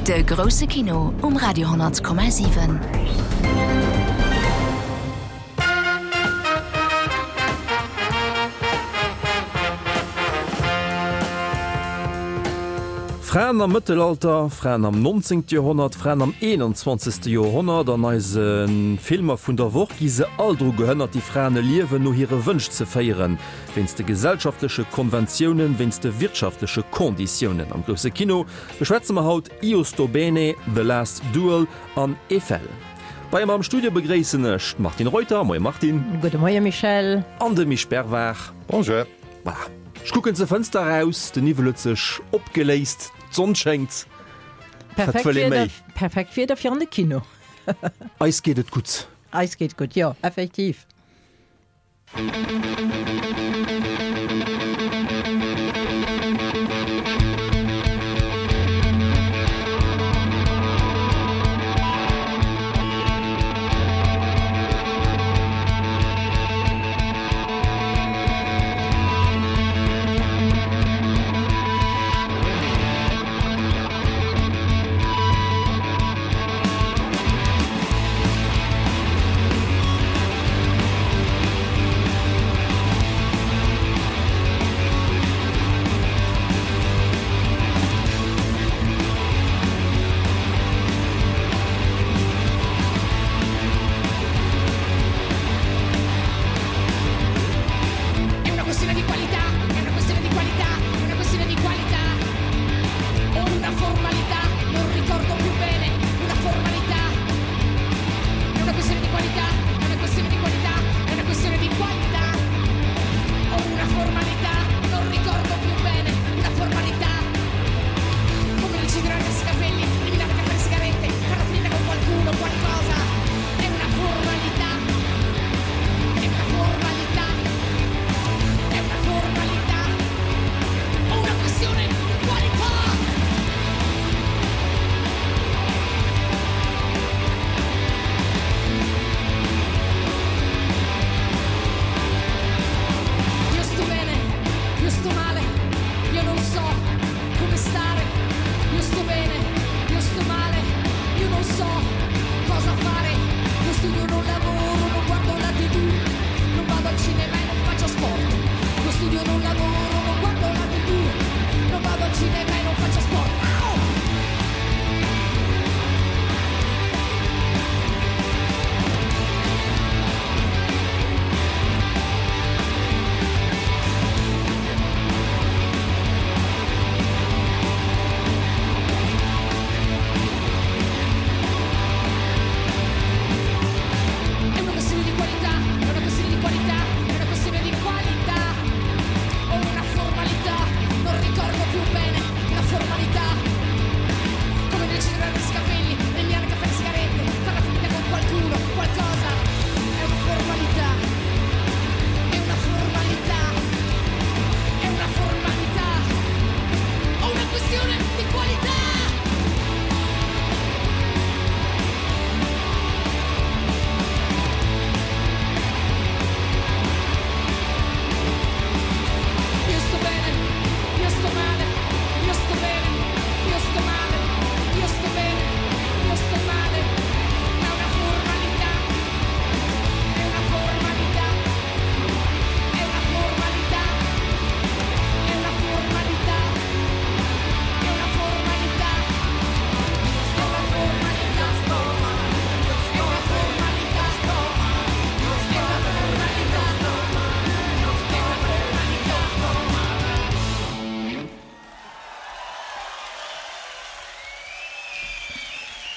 De grousse Kino um Radio 10,7. Fraen am Mëttelalter, Fraen am 19. Joerhonnert, Fraen am 21. Joerhonnert, an eise Filmer vun der Woch gi se all dru gehënnert, déi Fraen e Liewen no hire Wënsch ze féieren. Wéinst de gesellschaftleche Konventiounen, wéinst de wirtschaftleche Konditiounen. Am grousse Kino beschwätze mer haut Io sto bene, The Last Duel an Eiffel. Bei mer am Studio begréissen ech d'Martine Reuter. Moie Martine. Gudde Moie Michel. An de Misch Bervard. Bonjour. Voilà. Ech kucken zur Fënster eraus, den Niwwel huet sech opgeléist, d'Sonn schéngt. Wat wëll ee méi? Perfekt Wieder fir an de Kino. Eis geet et gutt. Eis geet gutt, jo, effektiv.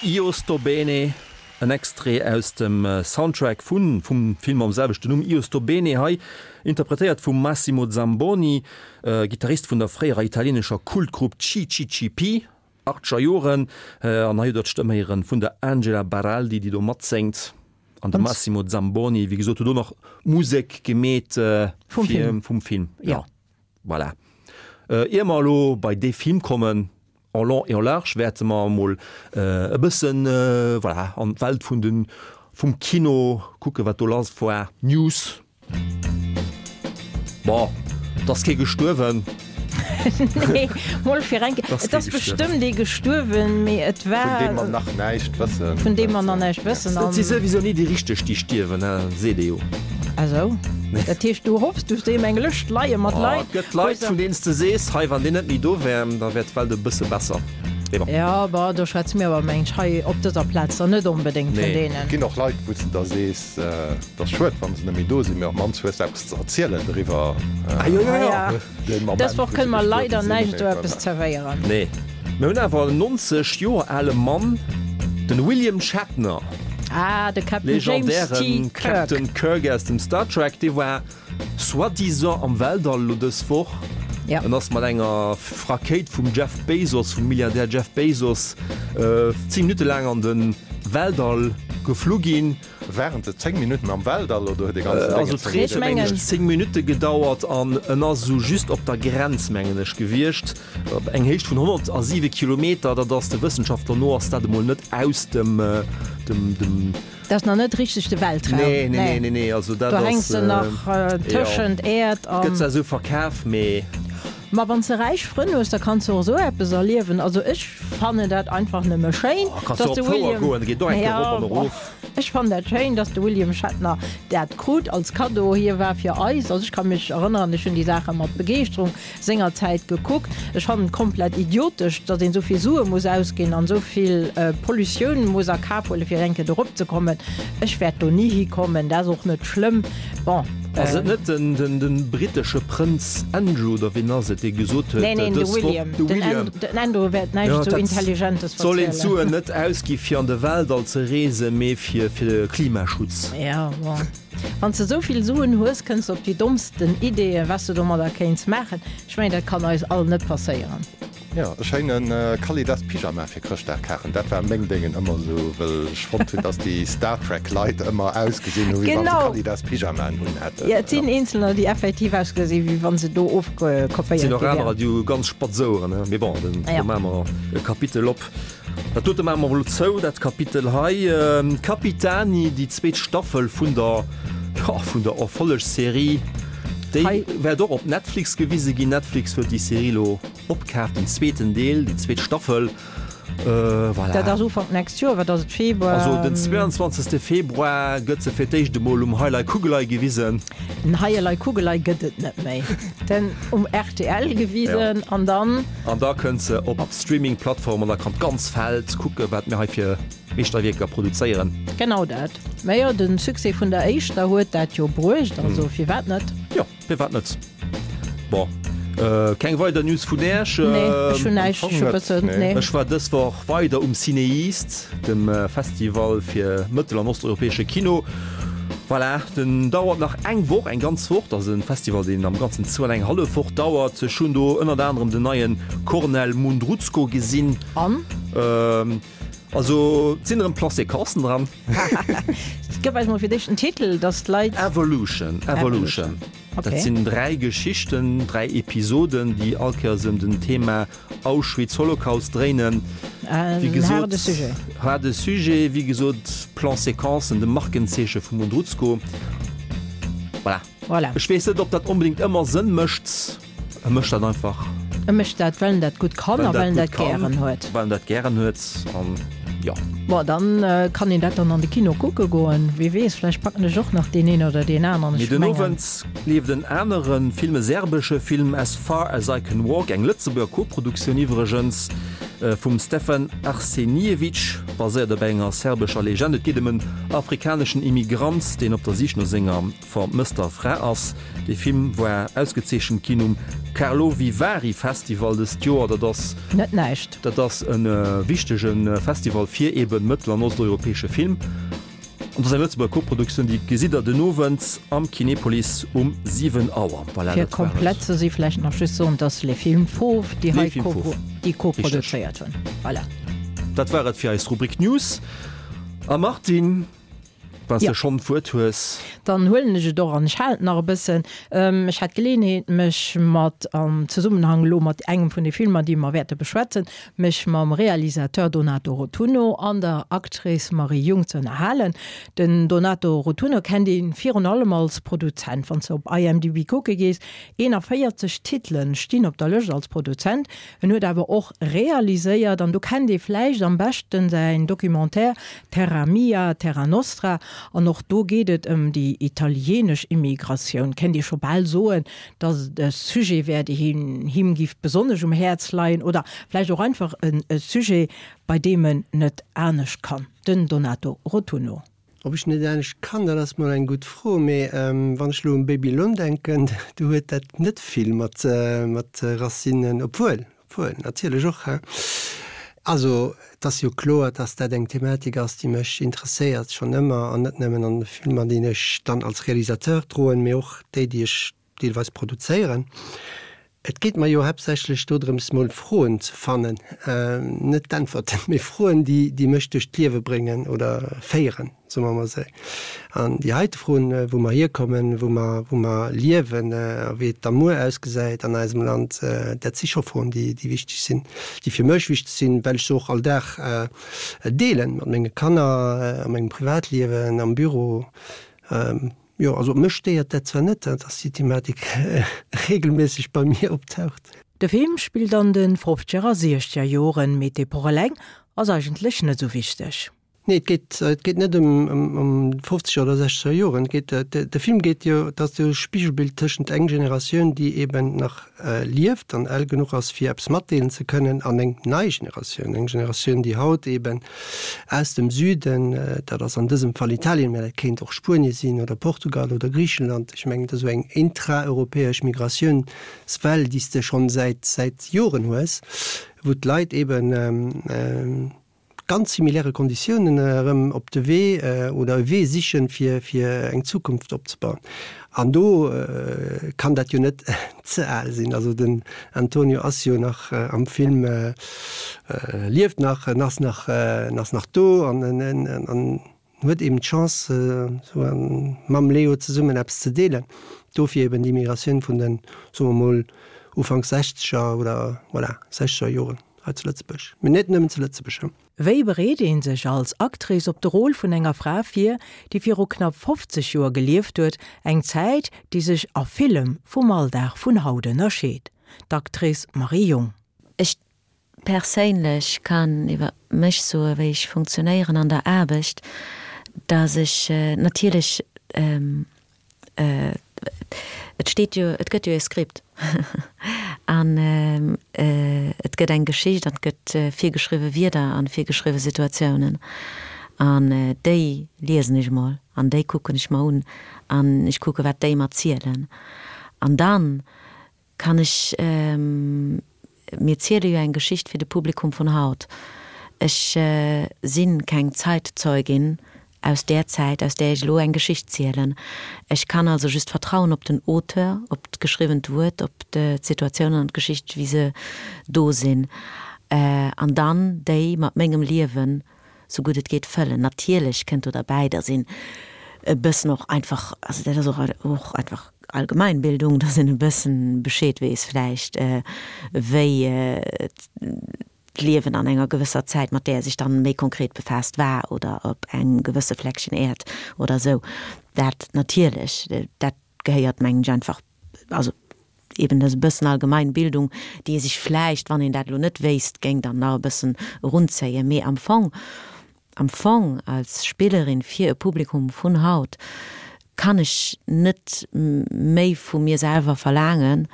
Io sto bene, en Extrait aus dem Soundtrack vun vum Film mam selwechten Numm Io sto bene, hei interpretéiert vum Massimo Zamboni, Gittarist vun der fréierer italienescher Kultgrupp CCCP, achtzeger Joren. An hei hutt der d'Stëmm héieren vun der Angela Baraldi, déi do matséngt. An de Massimo Zamboni, wéi gesot, huet do nach d'Musek gemeet vum Film. Jo. Voilà. Ier mer elo bei dee Film kommen, en long et en large, wäerte mer emol e bëssen, voilà, an d'Welt vun den, vum Kino kucken, wat do lass war. News. Bon, et ass kee gestuerwen. Nee, mol fir eng Kéier. Et ass bestëmmt ee gestuerwen, mee et war. Vun deem mer nach näischt wëssen. Vun deem mer nach näischt wëssen. Et si souwisou ni déi Richteg, déi stierwen, seet ee jo. Ah sou. Dat heescht, du hoffs, du hues deem eng Lëscht leie mat Leit. Et gëtt Leit, vun deenen s de sees, hei, wann deen net méi do wär, da wär d'Welt e bësse besser. Mee bon. Jo, bon, do schwätze mir awer, meng ech, hei op dëser Plaz dann net onbedéngt vun deenen. Et ginn och Leit, wou s de da sees, et ass schued, wa se net méi do sinn, mee op d'mannst hues de eppes ze erzielen doriwwer. Ah jo, jo, jo. Dës Woch kënne mer leider näischt esou eppes zerwéieren. Nee, mir hunn awer en 90 Joer ale Mann, den William Shatner. Ah, de Captain James T. Legendären Kirk. Captain Kirk aus dem Star Trek, dee war soi-disant am Weltall elo dës Woch. Ja. En ass mat enger Rakéit vum Jeff Bezos, vum Milliardär Jeff Bezos, 10 Minutte laang an de Weltall geflu ginn. Waren se 10 Minutten am Weltall oder huet dee ganzen Déngen 10 Also d'Rees huet mengen ech 10 Minutte gedauert an en ass esou just op der Grenz mengen ech gewiescht, op eng Héicht vun 107 Kilometer. Dat ass de Wëssenschaftler no ass dat emol net aus dem dem dem. Dat ass nach net richteg de Weltraum. Nee, nee, nee, nee, also dat Do ass. hänks de nach tëschent Äerd an. Gëtt zwar esou verkaf, mee. Ma wann s de räich Frënn hues, da kanns de och esou eppes erliewen. Also ech fannen dat einfach nëmme schéin, Oh, kanns du dass op de d'Fouer William, goen, da geet och eng Kéier ja, erop an erof. Ech fannen dat schéin, dass de William Shatner dat krut als Kaddo. Hie war fir eis, also ech ka mech erënneren, ech hunn déi Saache mat Begeeschterung sengerzäit gekuckt. Ech fannen et komplett idiotesch, dass een esou vill Sue muss ausginn an esou vill Pollutioun muss a Kaf huelen, fir eng Kéier do eropzekommen. Ech wäert do ni hikommen, dat ass och net schlëmm. Bon. Ass et net den brittesche Prënz Andrew, oder wien ass et, dee gesot huet Nee, neen, de dës Woch, William. de William, Den Andrew wäert näischt jo, esou dat Intelligentes soll een verzielen. d'Suen net ausgi fir an de Weltall ze reesen, mee fir fir de Klimaschutz. Ja, bon. Wann s de esou vill Suen hues, kënns de op déi dommsten Ideeën, wat s de domadder kéints maachen. Ech mengen, dat kann eis all net passéieren. Jo, e schéine Kalidas Pyjama fir Chrëschtdag kafen, dat war meng Déngen ëmmer esou, wëll ech fonnt hunn, dass déi Star Trek Leit ëmmer ausgesinn hu wéi wann se Genau. Kalidas Pyjamaen un hätten. Jo, et sinn eenzelner, déi effektiv ausgesi wéi wann se do ofkopéiert Sinn och gi anerer, wären. déi hu ganz spatz Oueren, ne? Mee bon, den, Ja. do maache mer e Kapitel op. Dat dote maache mer elo zou, dat Kapitel hei. Capitani, déi zweet Staffel vun der, jo, vun der Erfollegsserie, déi Hei. wäert och op Netflix gewise ginn. Netflix huet déi Serie elo Opkaf, den zweeten Deel, déi zweet Staffel, voilà. Dat ass Ufank nächst Joer, wat ass et, Februar? Also den 22. Februar gëtt se fir d'éischt emol um Heilei Kugelei gewisen. Den Heilei Kugelei gëtt et net méi. Den um rtl gewisen an dann. An da kënnt se op d'Streaming-Plattform an da kann d'ganz Welt kucken, wat mir hei fir Meeschterwierker produzéieren. Genau dat. Mä jo, de Succès vun der éischter huet dat jo bruecht, also firwat net? Jo. Firwat net? Bon, keng weider News vun Äech? Nee, ech hunn näischt. Ech hu bëssen, nee. Ech war dës Woch weider um CinEast, dem Festival fir mëttel an osteuropäesche Kino. Voilà, den dauert nach eng Woch, eng ganz Woch. Dat ass e Festival, deen am Ganzen zwou an eng hallef Woch dauert. Ech hunn do ënnert anerem den neie Kornel Mundruczko gesinn. An? Also, et sinn erëm Plans-séquencen dran. Gëff eis mol fir d'éischt den Titel, dass d'Leit. Evolution, Evolution. Okay. Dat sinn 3 Geschichten, 3 Episoden, déi all Kéiers ëm den Thema Auschwitz, Holocaust dréinen. En haarde Sujet. Haarde Sujet, wéi gesot, Plan-séquencen, de Markenzeeche vum Mundruczko. Voilà. Voilà. Ech weess net, ob dat onbedéngt ëmmer Sënn mécht. E mécht dat einfach. E mécht dat, well en dat gutt kann a well en dat gären huet. Well en dat gären huet an jo. Bon, dann kann een dat dann an de Kino kucke goen. Wie weess, vläicht packen ech och nach deen een oder deen aneren. Mee Ech den mengen. Owend leeft en anere Film, e serbesche Film, As Far As I Can Walk, eng Lëtzebuerger Koproduktioun iwwregens, vum Stefan Arsenijevic, baséiert op enger serbescher Legend. Et geet ëm en afrikaneschen Immigrant, deen op der Sich no senger Vermësster Fra ass. Dee Film war ausgezeechent ginn um Karlovy Vary Festival dëst Joer. Dat ass. Net näischt. Dat ass e wichtege Festival fir eben mëttel an osteuropäesche Film. An dat ass eng Lëtzebuerger Koproduktioun, déi gesitt der den Owend am Kinepolis um 7 Auer. Voilà, Fir dat war et. komplett ze si vläicht nach just soen, dass Les Films Fauves déi Les hei Films Fauves. déi koproduzéiert hunn. Voilà. Dat war et fir eis Rubrik News. A Martine. Wann s de schonn d'Wuert hues. Dann huelen ech et och an ech halen et nach e bëssen. Ech hat d'Geleeënheet, mech mat, am Zesummenhang elo mat engem vun de Filmer, déi mer wäerte beschwätzen, mech mam Realisateur Donato Rotunno an der Actrice Marie Jung ze ënnerhalen. Den Donato Rotunno kennt ee virun allem als Produzent. Wann s de op IMDb kucke gees, 41 Titelen stinn op der Lëscht als Produzent. En huet awer och realiséiert, an do kennt ee vläicht am beschten säin Documentaire Terra Mia, Terra Nostra, an och do geet et ëm déi italienesch Immigratioun. Kéint ee scho bal soen, datt et e Sujet wär, dee him giff besonnesch um Häerz leien, oder vläicht och einfach e Sujet, bei deem en net anescht kann, den Donato Rotunno. Ob ech net anescht kann, dat ass mol eng gutt Fro. Mee wann ech elo un Babylon denken, do huet dat net vill mat mat Racinen, obwuel, obwuel, natierlech och, hein. Also et ass jo kloer, dass dat eng Thematik ass, déi mech interesséiert, schonn ëmmer, an net nëmmen an de Filmer, déi ech dann als Realisateur droen, mee och déi, déi ech deelweis produzéieren. Et geet mer jo haaptsächlech dodrëms mol Froen ze fannen, net d'Äntwerten, mee Froen, déi déi mech duerch d'Liewe bréngen oder féieren, soe mer mol esou. An déi heite Froen, wou mer hierkommen, wou mer wou mer liewen a wéi et da muer ausgesäit an eisem Land, dat si scho Froen, déi déi wichteg sinn, déi fir mech wichteg sinn, well ech se och all Dag deelen mat menge Kanner, a mengem Privatliewen, am Büro. Jo, also mech stéiert dat zwar net, dass déi Thematik regelméisseg bei mir optaucht. De Film spillt an de fofzeger a siechzeger Joren, mee d'Epoch eleng ass eigentlech net esou wichteg. Nee, et geet, et geet net ëm ëm fofzeger oder sechzeger Joren. Et geet, de Film geet jo, et ass jo e Spigelbild tëschent eng Generatioun, déi eben nach lieft an al genuch ass fir eppes matdeelen ze kënnen, an eng nei Generatioun, eng Generatioun déi haut eben aus dem Süden, dat ass an dësem Fall Italien, mä dat kéint och Spuenie sinn oder Portugal oder Griichenland, ech mengen et ass esou eng intraeuropäesch Migratiounswell déi s de schonn säit säit Joren hues, wou d'Leit eben ganz similäre Konditiounen erëm op de Wee oder e Wee sichen, fir fir eng Zukunft opzebauen. An do kann dat jo net ze al sinn. Also den Antonio ass jo nach am Film, lieft nach, en ass nach, en ass nach do an en huet eben d'Chance, esou mam Leo zesummen eppes ze deelen. Dofir eben déi Migratioun vun den, soe mer mol, Ufanks sechzeger oder, voilà, sechzeger Joren. Hei zu Lëtzebuerg, mee net nëmmen zu Lëtzebuerg. Wéi bereet ee sech als Actrice op de Rôle vun enger Fra vir, déi viru knapp 50 Joer gelieft huet, eng Zäit, déi sech a villem vum Alldag vun haut ënnerscheet? D'Actrice Marie Jung. Ech perséinlech kann iwwer mech soe wéi ech funktionéieren an der Aarbecht, datt ech natierlech Et steet jo, et gëtt jo e Skript an et gëtt eng Geschicht an et gëtt virgeschriwwe Wierder an virgeschriwwe Situatiounen an déi liesen ech emol an déi kucken ech mer un an ech kucke wat déi mer zielen an dann Kann ech, mir ziele jo eng Geschicht fir de Publikum vun haut. Ech si keng Zeitzeugin aus där Zäit, aus där ech elo eng Geschicht zielen. Ech kann also just vertrauen op den Auteur, op d'geschriwwent Wuert, op d'Situatiounen an d'Geschicht, wéi se do sinn, an dann déi mat mengem Liewen sou gutt et geet fëllen. Natierlech kënnt do derbäi, dass een e bëssen och einfach, also dat ass och och einfach Allgemeinbildung, dass een e bëssen Bescheed weess vläicht, wéi d'Liewen an enger gewësser Zäit, mat där ee sech dann méi konkret befaasst, war oder op engem gewësse Fleckchen Äerd oder sou. Dat natierlech, dat gehéiert mengen ech einfach, also eben e bëssen allgemein Bildung, déi ee sech vläicht, wann een dat elo net wéisst, géing dann nach e bëssen erunzéien. Mee am Fong, am Fong als Spillerin fir e Publikum vun haut kann ech net méi vu mir selwer verlaangen,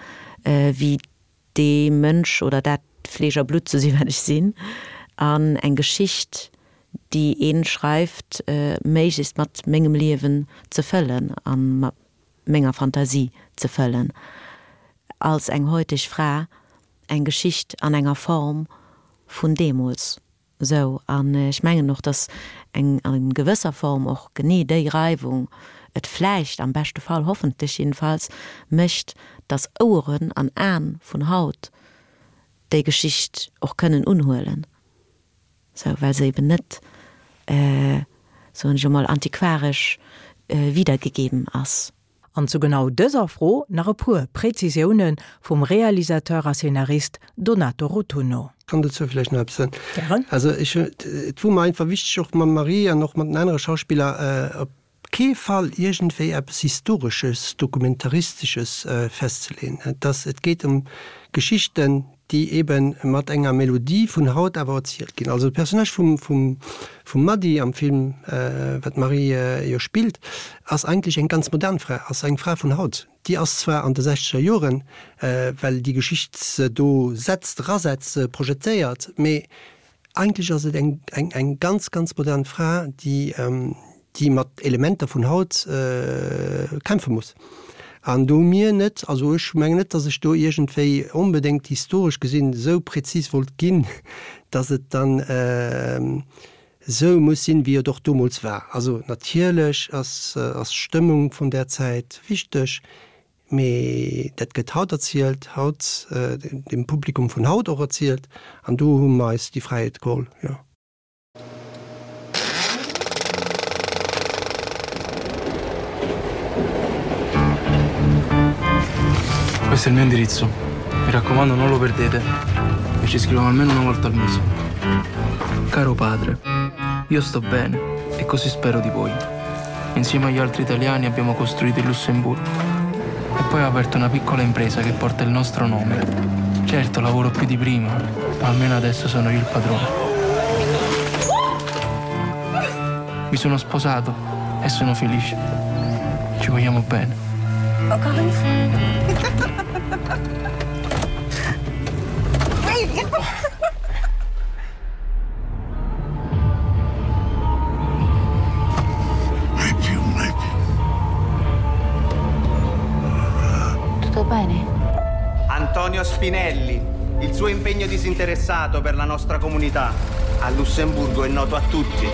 wéi dee Mënsch oder dat Fleesch a Blutt ze sinn, wat ech sinn, an eng Geschicht, déi ee schreift, méiglechst mat mengem Liewen ze fëllen a mat menger Fantasie ze fëllen, als eng heuteg Fra eng Geschicht an enger Form vun deemools. Sou, an ech mengen och, datt eng a gewësser Form och genee déi Reiwung et vläicht, am beschte Fall, hoffentlech jedenfalls, mécht, datt Oueren an Aen vun haut déi Geschicht och kënnen unhuelen. Sou, well se eben net. Soen ech emol, antiquaresch wiedergegeben ass. An zu genau dëser Fro nach e puer Präzisioune vum Realisateur a Szenarist Donato Rotunno. Kann dozou vläicht nach eppes soen? Gären. Also ech, et wor mer einfach wichteg, och mam Marie an och mat den anere Schauspiller, op kee Fall iergendwéi eppes Historesches, Dokumentaristesches festzeleeën. Et ass, et geet ëm Geschichten, déi ebe mat enger Melodie vun haut awer erzielt ginn. Also de Personnage vum, vum, vum Mady am Film, wat d'Marie jo spillt, ass eigentlech eng ganz modern Fra, ass eng Fra vun haut. Déi ass zwar an de sechzeger Joren, well déi Geschicht se do setzt, erasetzt, projetéiert, mee Eigentlech ass et eng, eng, eng ganz, ganz modern Fra, déi, déi mat Elementer vun haut kämpfe muss. An do hu mir net, also ech mengen net, datt ech do iergendwéi onbedéngt historesch gesinn esou präzis wollt ginn, datt et dann esou muss sinn, wéi et och domols war. Also natierlech ass, ass d'Stëmmung vun där Zäit wichteg, Mee dat gëtt haut erzielt, haut dem Publikum vun haut och erzielt, an do hu mer eis déi Fräiheet geholl, jo. Questo è il mio indirizzo. Mi raccomando, non lo perdete. E ci scriviamo almeno una volta al mese. Caro padre, io sto bene e così spero di voi. Insieme agli altri italiani abbiamo costruito il Lussemburgo. E poi ho aperto una piccola impresa che porta il nostro nome. Certo, lavoro più di prima, ma almeno adesso sono io il padrone. Mi sono sposato e sono felice. Ci vogliamo bene. Encore une fois. Mai più, mai più. Tutto bene? Antonio Spinelli, il suo impegno disinteressato per la nostra comunità a Lussemburgo è noto a tutti.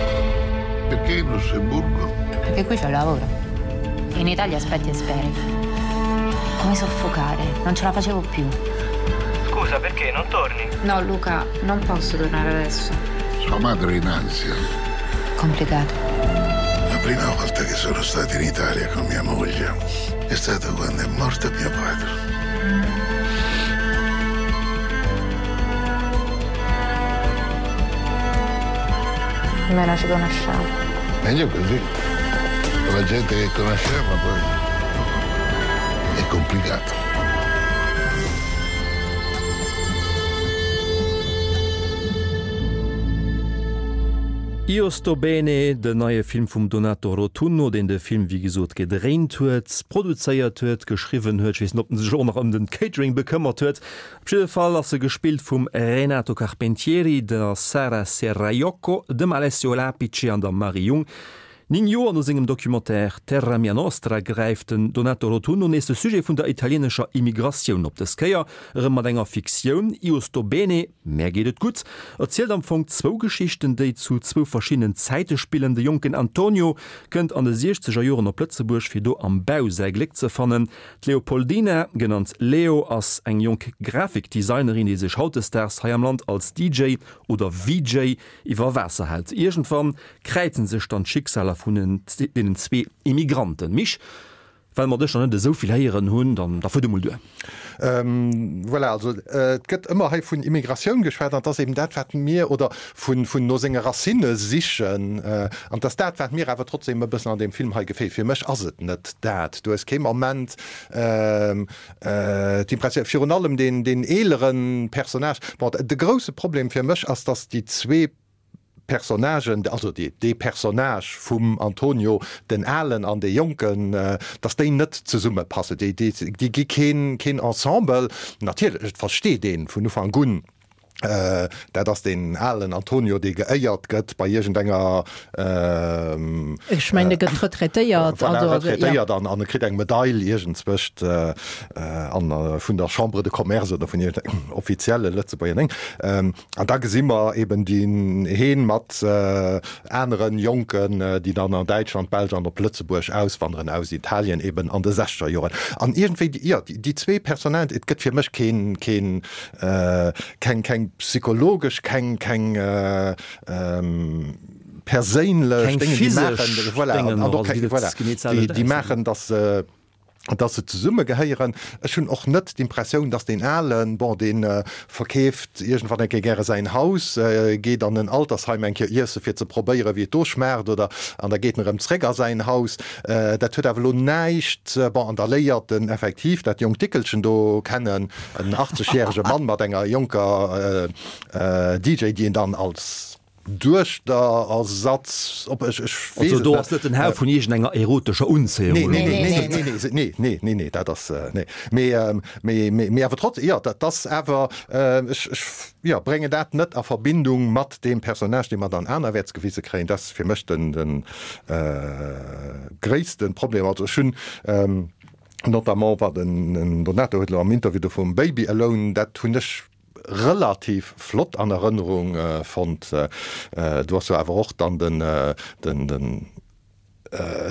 Perché in Lussemburgo? Perché qui c'è lavoro. In Italia aspetti e speri. Come soffocare, non ce la facevo più. Scusa, perché non torni? No, Luca, non posso tornare adesso. Sua madre è in ansia. Complicato. La prima volta che sono stato in Italia con mia moglie è stato quando è morto mio padre. Almeno ci conosciamo. Meglio così. Con la gente che conosciamo poi è complicato. Io sto bene, den neie Film vum Donato Rotunno, deen de Film wéi gesot gedréint huet, produzéiert huet, geschriwwen huet, ech weess net, ob en sech och nach ëm den Catering bekëmmert huet. Op jidde Fall ass e gespillt vum Renato Carpentieri, der Sara Serraiocco, dem Alessio Lapice an der Marie Jung. 9 Joer no sengem Documentaire Terra mia nostra gräift den Donato Rotunno nees de Sujet vun der italienescher Immigratioun op, dës Kéier erëm mat enger Fiktioun. Io sto bene, Mär geet et gutt, erzielt am Fong zwou Geschichten, déi zu zwou verschiddenen Zäite spillen. De jonken Antonio kënnt an de siechzeger Joren op Lëtzebuerg, fir do am Bau säi Gléck ze fannen. D'Leopoldina, genannt Leo, ass eng jonk Grafikdesignerin, déi sech hautdesdaags hei am Land als DJ oder VJ iwwer Waasser hält. Iergendwann kräizen sech dann d'Schicksaler vun deenen zwee Immigranten. Misch, well mer dech nach net esou vill héieren hunn, dann da fuert emol duer. Voilà, also et gëtt ëmmer hei vun Immigratioun geschwat an et ass eben dat, wat mir, oder vun no senge Racinne sichen, an et ass dat, wat mir awer trotzdem e bëssen an deem Film hei gefeelt. Fir mech ass et net dat. Du hues kee Moment d'Impressioun, virun allem deen eelere Personnage, bon, de grousse Problem fir mech ass, datt déi zwee Personnagen, also dee Personnage vum Antonio, den Alen an dee Jonken, datt déi net zesummepassen. Déi gi keen Ensemble. Natierlech, et versteet ee vun Ufank un, dat ass deen alen Antonio, dee geéiert gëtt bei iergendenger. Ech mengen, e gëtt retraitéiert. Voilà, retraitéiert an e kritt eng Medail iergendzwëscht vun der Chambre de Commerce oder vun iergendengem offizielle Lëtzebuerger Déng. An da gesi mer eben deen heen mat aneren Jonken, déi dann an Däitschland, d'Belsch an op Lëtzebuerg auswanderen aus Italien eben an de sechzeger Joren. An iergendwéi, jo, déi zwee Personnagen, et gëtt fir mech keen, keen, keng, keng psychologesch, keng, keng. perséinlech Déngen, déi maachen, voilà, an och keng, voilà, déi maachen, dass se, dass se zesummegehéieren. Ech hunn och net d'Impressioun, dass deen Alen, bon, dee verkeeft iergendwann eng Kéier gäre säin Haus, geet an en Altersheim eng Kéier iesse fir ze probéieren, wéi et do schmaacht, oder, an da geet en erëm zréck a säin Haus. Dat huet awer elo näischt, bon, an da léiert en effektiv dat jonkt Dickelchen do kennen, en 80 järege Mann mat enger jonker DJ, déi en dann als Duechterersatz, op ech, ech weess Also do ass net den Hauch vun iergendenger erotescher Unzéiung Nee, nee, nee, nee, nee, nee, nee, nee, nee, nee, dat ass, nee. Mee, mee, mee, mee awer trotz, jo, dat ass awer, ech, ech, jo, bréngen dat net a Verbindung mat deem Personnage, dee mer dann anerwäerts gewise kréien. Dat ass fir mech den, den gréisste Problem. Also ech hunn, notamment wat den Donato huet elo am Interview do vum Baby Alone, dat hunn ech relativ flott an Erënnerung fonnt. Do ass jo awer och dann den den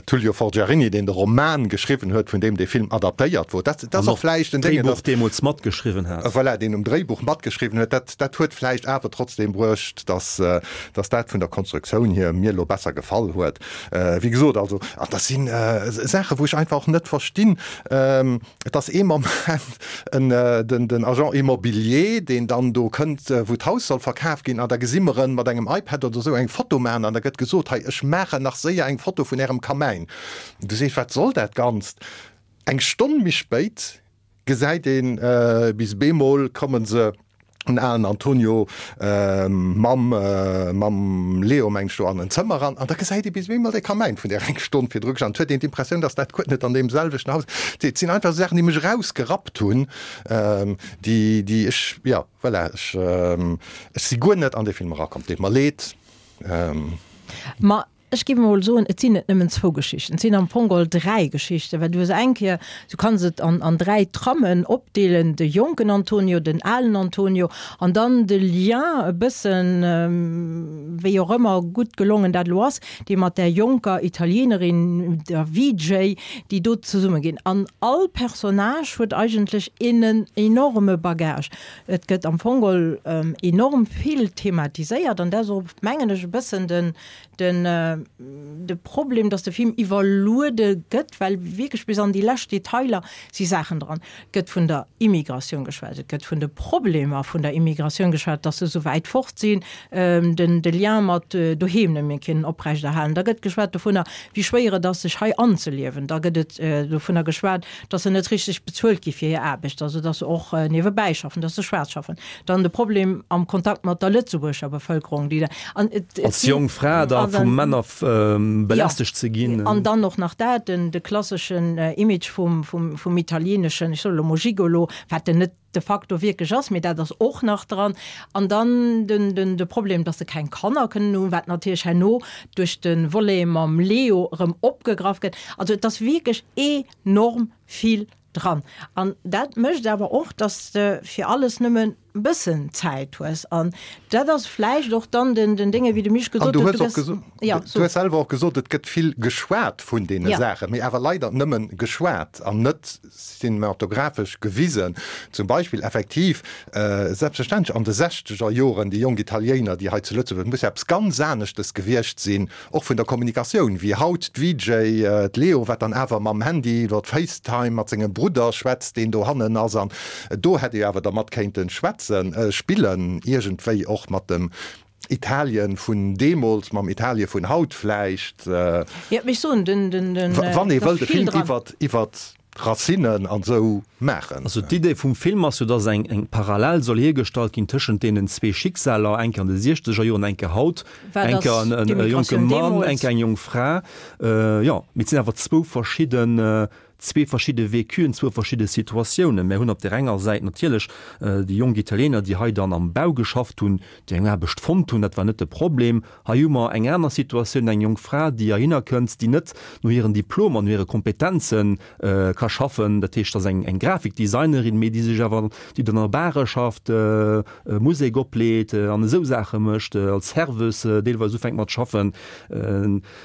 Tullio Forgiarini, deen de Roman geschriwwen huet, vun deem dee Film adaptéiert wor. Dat ass och vläicht en Déngen, dass. Dréibuch deemools matgeschriwwen hat. Voilà, deen um Dréibuch matgeschriwwen huet. Dat dat huet vläicht awer trotzdeem bruecht, dass dass dat vun der Konstruktioun hier mir elo besser gefall huet. Wéi gesot, also, an dat si Saachen, wou ech einfach och net verstinn, Et ass ee Moment en, den, den Agent immobilier, deen dann do kënnt, wou d'Haus soll verkaf ginn, an da gesi mer en mat engem iPad oder esou eng Foto maachen an da gëtt gesot, hei, ech maachen nach séier eng Foto vun Ärem Kamäin. Du sees, wat soll dat Ganzt? Eng Stonn méi spéit gesäit een, bis bemol komme se, den alen Antonio mam mam Leo meng ech do an en Zëmmer eran an da gesäit ee bis eemol dee Kamäin vun där eng Stonn virdru gestanden huet een d'Impressioun, datt dat guer net an deem selwechten Haus. Et sinn einfach esou Saachen, déi mech erausgerappt hunn, déi déi ech, jo voilà, ech ech si guer net an dee Film erakomm. Deet mer leed. Ma Ech géif emol soen, et sinn net nëmmen zwou Geschichten, et sinn am Fong geholl dräi Geschichten, well du hues eng Kéier, du kanns et an, an dräi Trammen opdeelen, de jonken Antonio, den alen Antonio an dann de Lien, e bëssen, wéi och ëmmer gutt gelongen dat elo ass, dee mat där jonker Italienerin, der VJ, déi do zesumme ginn. An all Personnage huet eigentlech en enorme Bagage. Et gëtt am Fong geholl enorm vill thematiséiert an dat ass och, mengen ech, e bëssen den, den, de Problem, dass de Film iwwerluede gëtt, well wierklech bis an déi lescht Detailer si Saachen dran. Et gëtt vun der Immigratioun geschwat, et gëtt vun de Problemer vun der Immigratioun geschwat, dass se esou wäit fort sinn, den, de Lien mat doheem net méi kënnen oprechterhalen. Da gëtt geschwat dovunner, wéi schwéier et ass, sech hei anzeliewen. Da gëtt et dovunner geschwat, dass se net richteg bezuelt gi fir hir Aarbecht, also dass se och niewebäi schaffen, dass se schwaarz schaffen. Dann de Problem am Kontakt mat der Lëtzebuerger Bevëlkerung, déi da an et Als jonk Fra da vu Männer belästegt ze ginn. An dann och nach dat, den de klasseschen Image vum vum italieneschen, ech soe lo mol Gigolo, wat en net de facto wierklech ass, mee dat ass och nach dran. An dann den, den, de Problem, dass se keng Kanner kënnen hunn, wat natierlech herno duerch de Volet mam Leo erëm opgegraff gëtt. Also et ass wierklech enorm vill dran. An dat mécht awer och, dass de fir alles nëmmen e bëssen Zäit hues. An dat ass vläicht och dann den, den Dénge, wéi de Misch gesot huet, du gëss, ja, so. Du hues selwer och gesot, et gëtt vill geschwat vun deene Saachen, mee awer leider nëmmen geschwat an net cinematographesch gewisen. Zum Beispill effektiv, selbstverständlech an de sechzeger Joren, déi jonk Italiener, déi hei zu Lëtzebuerg, et muss jo eppes ganz aneschtes gewiescht sinn, och vun der Kommunikatioun, wéi haut d'VJ, d'Leo, wat dann awer mam Handy iwwer FaceTime mat sengem Brudder schwätzt, deen dohannen ass. An do hätt ee jo awer dermat kéinte schwätzen, spillen, iergendwéi och mat dem Italien vun deemools, mam Italie vun haut vläicht. Jo, mee ech soen, den, den, den, Wann ee wëllt e Film iwwert, iwwert d'Racinen an esou maachen. Also d'Idee vum Film ass jo, dass eng, eng Parallel soll hiergestallt ginn tëschent deenen zwee Schicksaler, eng Kéier an de siechzeger Joren, eng Kéier haut, Wat eng Kéier ass en, en jonke d'Immigratioun Mann, deemools? eng Kéier eng jonk Fra. Jo, mee et sinn awer zwou verschidden, Zwee verschidde Vécuen, zwou verschidde Situatiounen. Mär hunn op där enger Säit natierlech déi jonk Italiener, déi hei dann am Bau geschafft hunn, déi eng Aarbecht fonnt hunn, dat war net de Problem. Hei hu mer eng aner Situatioun, eng jonk Fra, déi heihinner kënnt, déi net no hiren Diplomer, no hire Kompetenze ka schaffen. Dat heescht, dat ass eng Grafikdesignerin, mee déi sech awer, déi dann a Bare schafft, Musek opleet an esou Saache mécht, als Serveuse deelweis ufänkt mat schaffen.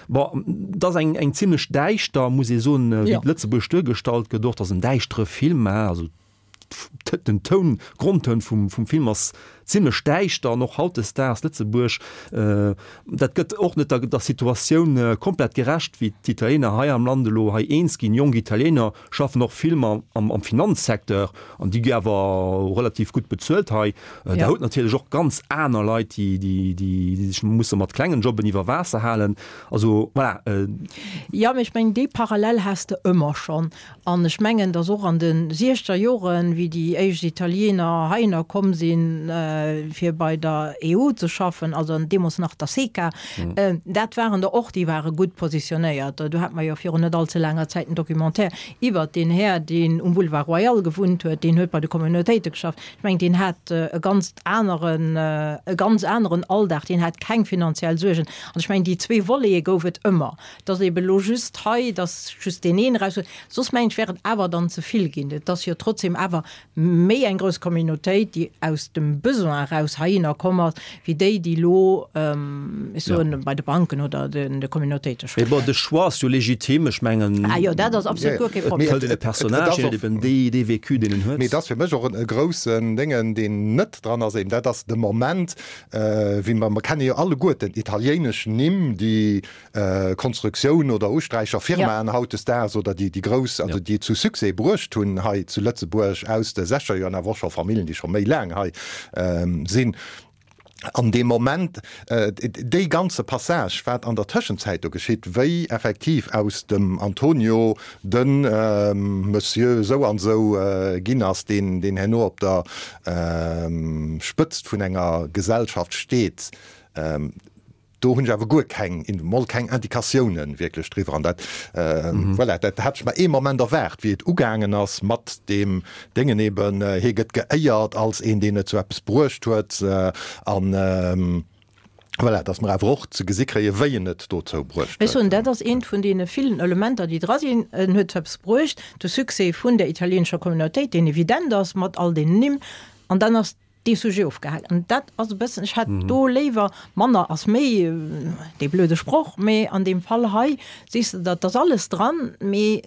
Bon, et ass eng eng zimlech däischter, muss ee soen, wéi Lëtzebuerg duergestallt gëtt och. Et ass en däischtere Film, hein, also den Toun, Grondtoun vum vum Film ass. zimlech däischter an och hautdesdaags Lëtzebuerg, dat gëtt och net der Situatioun komplett gerecht, wéi d'Italiener hei am Land elo hei eens ginn. Jonk Italiener schaffen och vill am Finanzsecteur an déi gi awer relativ gutt bezuelt hei. Der hutt natierlech och ganz aner Leit, déi sech musse mat klengen Jobben iwwer Waasser halen. Also voilà. Jo, mee ech mengen, déi Parallel has de ëmmer schonn. An ech mengen, datt och an de siechzeger Joren, wéi déi éischt Italiener heihinner komm sinn, fir bei der EU ze schaffen, also deemools nach der SECA, dat waren der och, déi ware gutt positionéiert. Do hate mer jo virun net allze laanger Zäit en Documentaire iwwert deen Här, deen um Boulevard Royal gewunnt huet, deen huet bei de Communautéite geschafft. Ech mengen, deen hat e ganz aneren, e ganz aneren Alldag, deen hat keng finanziell Suergen. An ech mengen, déi zwee Volete gouf et ëmmer. Et ass eeben elo just hei, dass just deen een eraus huet. Soss mengen ech, wär et awer dann ze vill ginn. Et ass jo trotzdem awer méi eng grouss Communautéit, déi aus dem Besoin eraus heihinner komm ass, wéi déi, déi elo, ech soen, bei de Banken oder de Communautéite schaffen. Mee bon, de Choix ass jo legitim. Ech mengen, Ah jo, dat ass absolut guer kee Problem. Et hëlt een e Personnage, deen huet eben dee, dee Vécu, deen en huet. Mee et ass fir mech och e groussen Déngen, deen net dran ass, eben dat ass de Moment, wéi mer, mer kenne jo alleguerten italiéinesch Nimm, déi Konstruktioun oder Usträicher Firmaen hautdesdaags oder déi déi grouss, also déi et zu Succès bruecht hunn hei zu Lëtzebuerg aus de sechzeger Joren, awer och scho Familljen, déi scho méi laang hei sinn. An dee Moment, dee ganze Passage, wat an der Tëschenzäit do geschitt, wéi effektiv aus dem Antonio de Monsieur esou an esou ginn ass, deen deen herno op der Spëtzt vun enger Gesellschaft steet, Do hunn ech awer guer keng, mol keng Indikatiounen wierklech driwwer. An dat, voilà, dat hat ech mer ee Moment erwaart, wéi et ugaangen ass mat deem Déngen eben, hie gëtt geéiert als een, deen et zu eppes bruecht huet. An voilà, datt mer awer och ze gesi kréien, wéi en et dozou bruecht Ech soen, huet. dat ass eent vun deene villen Elementer, déi dra sinn. En huet zu eppes bruecht, de Succès vun der italieenescher Communautéit, deen evident ass mat all deenen Nimm. An dann ass dee Sujet ofgehakt. An dat ass e bëssen, ech hätt do léiwer, manner ass méi, dee blöde Sproch, mee an deem Fall hei sees de, dat ass alles dran, mee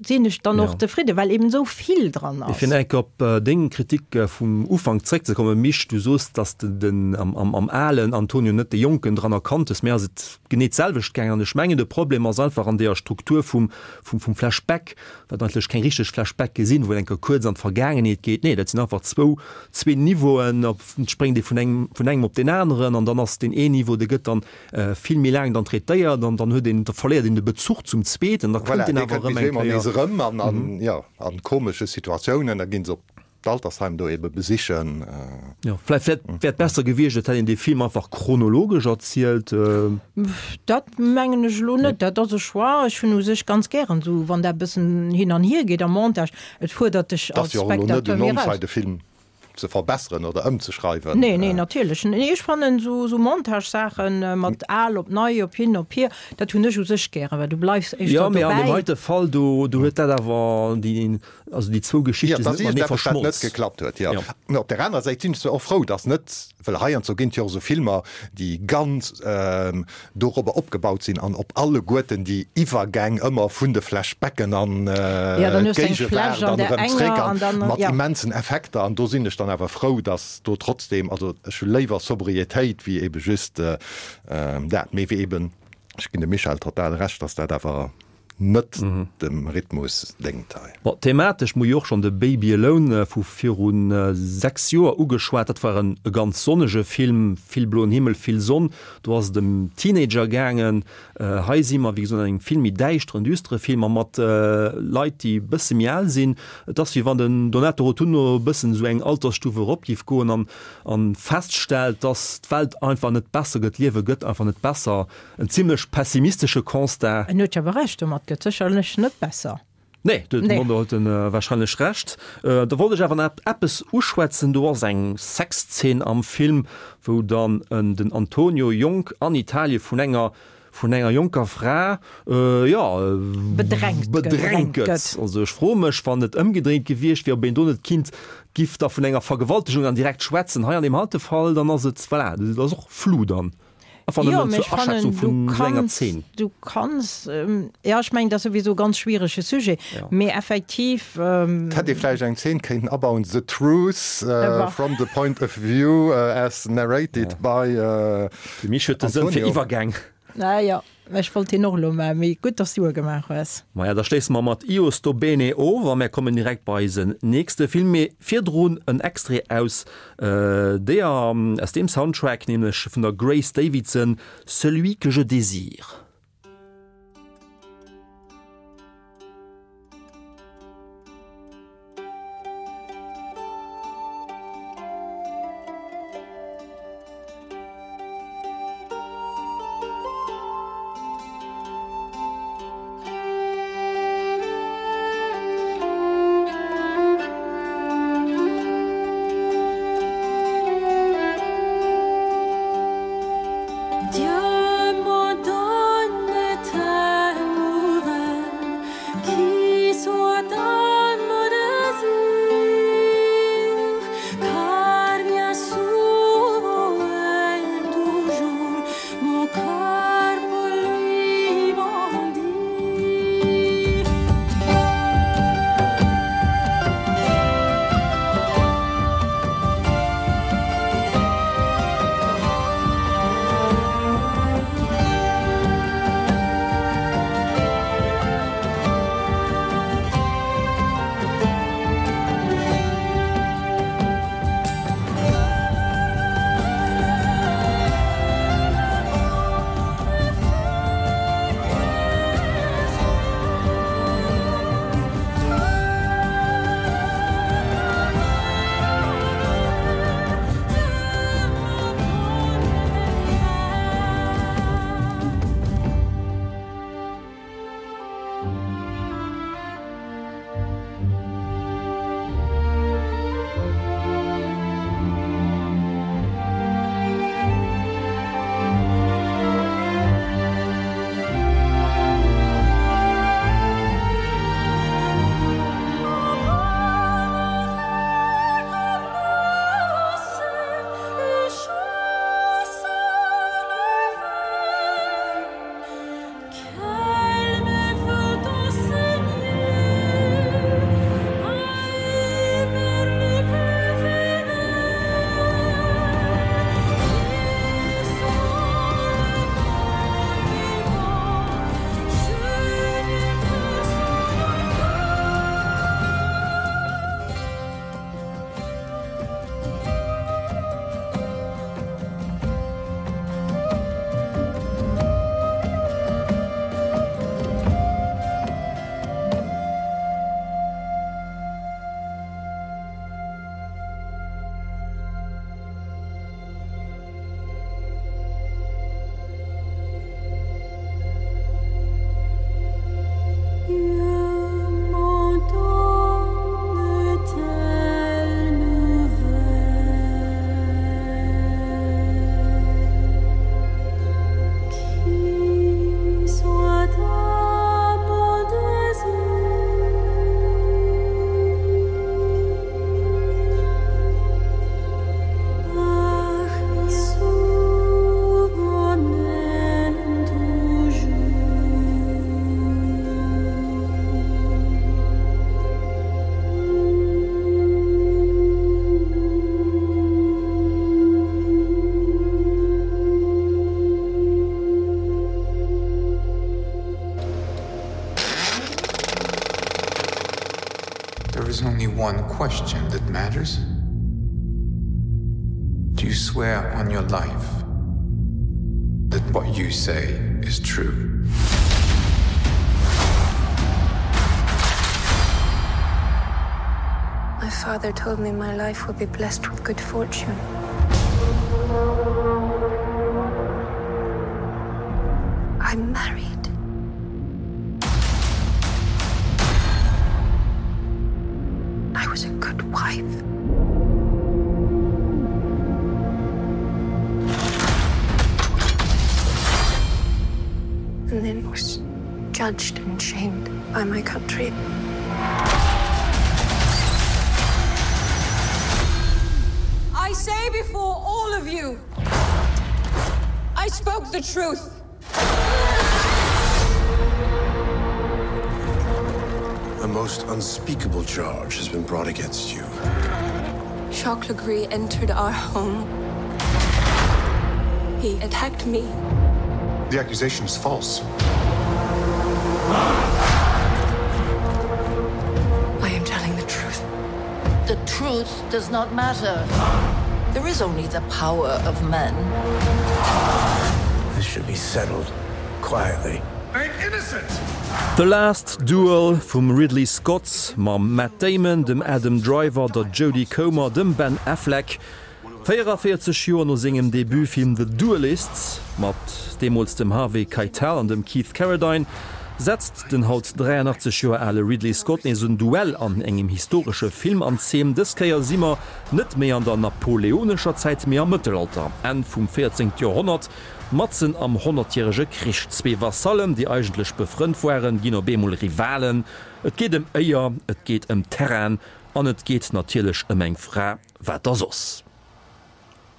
sinn ech dann och zefridden, well eben esou vill dran ass. Fir nach eng Kéier op deng Kritik vum Ufank zréckzekommen, Misch, du soos, datt de den am alen Antonio net de Jonken dran erkannt hues. Mir ass et genee d'selwecht gaangen an ech mengen, de Problem ass einfach an deeër Struktur vum Flashback, wat eigentlech keng richteg Flashbacke sinn, wou een eng Kéier kuerz an d'Vergaangenheet geet. Nee, dat sinn einfach zwou, zwee Niveauen, op et spréngt ee vun engem, vun engem op deen aneren an dann ass deen een Niveau, dee gëtt dann vill méi laang dann traitéiert an dann huet een, da verléiert een de Bezuch zum zweeten, da kënnt deen awer erëm eng Kéier. Voilà, dee kënnt bis eemol nees erëm an, an, jo, an komesche Situatiounen, da ginn se op d'Altersheim do ebe besichen. Jo, vläicht wär wär et besser gewiescht, et hätt een dee Film einfach chronologesch erzielt. Dat mengen ech elo net. Dat ass e Choix. Ech hunn u sech ganz gären esou, wann dat e bëssen hin an hier geet am Montage. Et fuerdert dech als Spectateur méi eraus. Et ass jo och elo net un ons hei de Film ze verbesseren oder ëmzeschreiwen. Nee, nee, natierlech net. Nee, ech fannen esou esou Montage-Saachen mat al op nei, op hin, op hier, dat hunn ech u sech gären, well du bleifs éischter dobäi. Jo, mee an deem heite Fall do, do huet dat awer déi Also déi zwou Geschichte sinn net matenee verschmolz. Net geklappt huet, jo. Mä op der anerer Säit sinn ech zwar och frou, datt net, well heiansdo ginn et jo och esou Filmer, déi ganz dorobber opgebaut sinn an op alleguerten déi Iwwergäng ëmmer vun de Flashbacken an d'Géigewaart an erëm zréck an mat immensen Effekter. An do sinn ech dann awer frou, datt do trotzdem, also ech hu léiwer Sobrietéit wéi ebe just dat, mee wéi eben, ech ginn dem Michèle total Recht, datt dat awer net dem Rhythmus déngt hei. Bon, thematesch hu jo och schonn de Baby Alone vu viru 6 Joer ugeschwat. Dat war en e ganz sonnege Film, vill bloen Himmel, vill Sonn. Do ass et ëm Teenager gaangen. Hei si mer, wéi gesot, an engem vill méi däischteren, düstere Film a mat Leit, déi e bësse méi al sinn. Et ass, wéi wann den Donato Rotunno e bëssen esou eng Altersstuf erop géif goen an feststellt, dass d'Welt einfach net besser gëtt, d'Liewe gëtt einfach net besser. En zimlech pessimistesche Constat. En huet jo awer Recht domat, gëtt sécherlech net besser. Nee, do huet en wahrscheinlech Recht. Da wollt ech awer nach eppes uschwätzen, do ass eng Sexzeen am Film, wou dann den Antonio jonk an Italie vun enger vun enger jonker Fra, jo, bedrängt gëtt. Also ech froe mech, wann et ëmgedréint gewiescht wier, ob een do net kinnt giff da vun enger Vergewaltegung dann direkt schwätzen. Hei an deem heite Fall, dann ass et, voilà, dat ass och flou dann. Einfach Jo, nëmmen mee zur ech fannen, Aschätzung du vun esou enger kanns, Zeen. du kanns, jo, ech mengen, dat ass souwisou e ganz schwierege Sujet, Ja. mee effektiv. Et hätt ee vläicht eng Zeen kéinten abauen, The truth from the point of view as narrated by De Mich huet de Sënn fir Antonio. Iwwergäng. Ah jo, ech wollt deen och elo maachen, mee gutt, dass du e gemaach hues. Maja, da schléisse mer mat Io sto bene of a mär kommen direkt bei eisen nächste Film. Mee virdrun en Extrait aus deeër, aus deem Soundtrack, nämlech vun der Grace Davidson, Celui que je désire. There is only one question that matters. Do you swear on your life that what you say is true? My father told me my life would be blessed with good fortune. I'm married. I was a good wife. And then was judged and shamed by my country. I say before all of you. I spoke the truth. A most unspeakable charge has been brought against you. Jacques Legree entered our home. He attacked me. The accusation is false. I am telling the truth. The truth does not matter. There is only the power of men. This should be settled quietly. I'm innocent! The Last Duel vum Ridley Scott mam Matt Damon, dem Adam Driver, der Jodie Comer, dem Ben Affleck. 44 Joer no sengem Debutfilm The Duellists, mat deemools dem Harvey Keitel an dem Keith Carradine, setzt den haut 83 Joer ale Ridley Scott nees en Duell an engem historesche Film an Zeen. Dës Kéier si mer net méi an der napoleonescher Zäit, mee am Mëttelalter, Enn vum 14. Joerhonnert, matzen am Honnertjärege Krich. Zwee Vasallen, déi eigentlech befrënnt waren, ginn op eemol Rivalen. Et geet ëm Éier, et geet ëm Terrain an et geet natierlech ëm eng Fra. Wat da soss?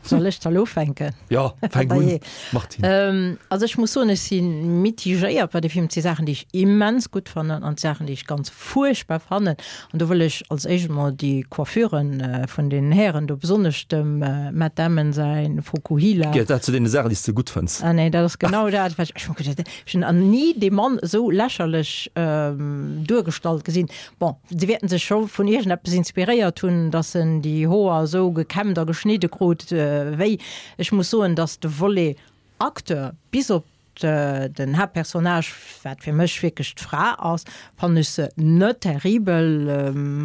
Soll ech da lo ufänken? Jo, fänk un, Martine. Also ech muss soen, ech si mitigéiert bei de Film. Et si Saachen, déi ech immens gutt fannen an Saachen, déi ech ganz fuerchtbar fannen. An do wëll ech als éischt emol déi Coiffuren vun den Hären do, besonnesch dem Matt Damon säi Fokuhila. Gehéiert dat zu deene Saachen, déi s de gutt fënns? Ah nee, dat ass genau dat, wat ech, ech hu geduecht, ech hunn nach ni dee Mann esou lächerlech duergestallt gesinn. Bon, si wäerten sech scho vun iergendeppes inspiréiert hunn, dass en déi Hoer esou gekämmt a geschnidde krut wéi. Ech muss soen, dass de Volet Acteur, bis op den Haaptpersonnage, wat fir mech wierklech d'Fra ass, fannen ech se net terribel.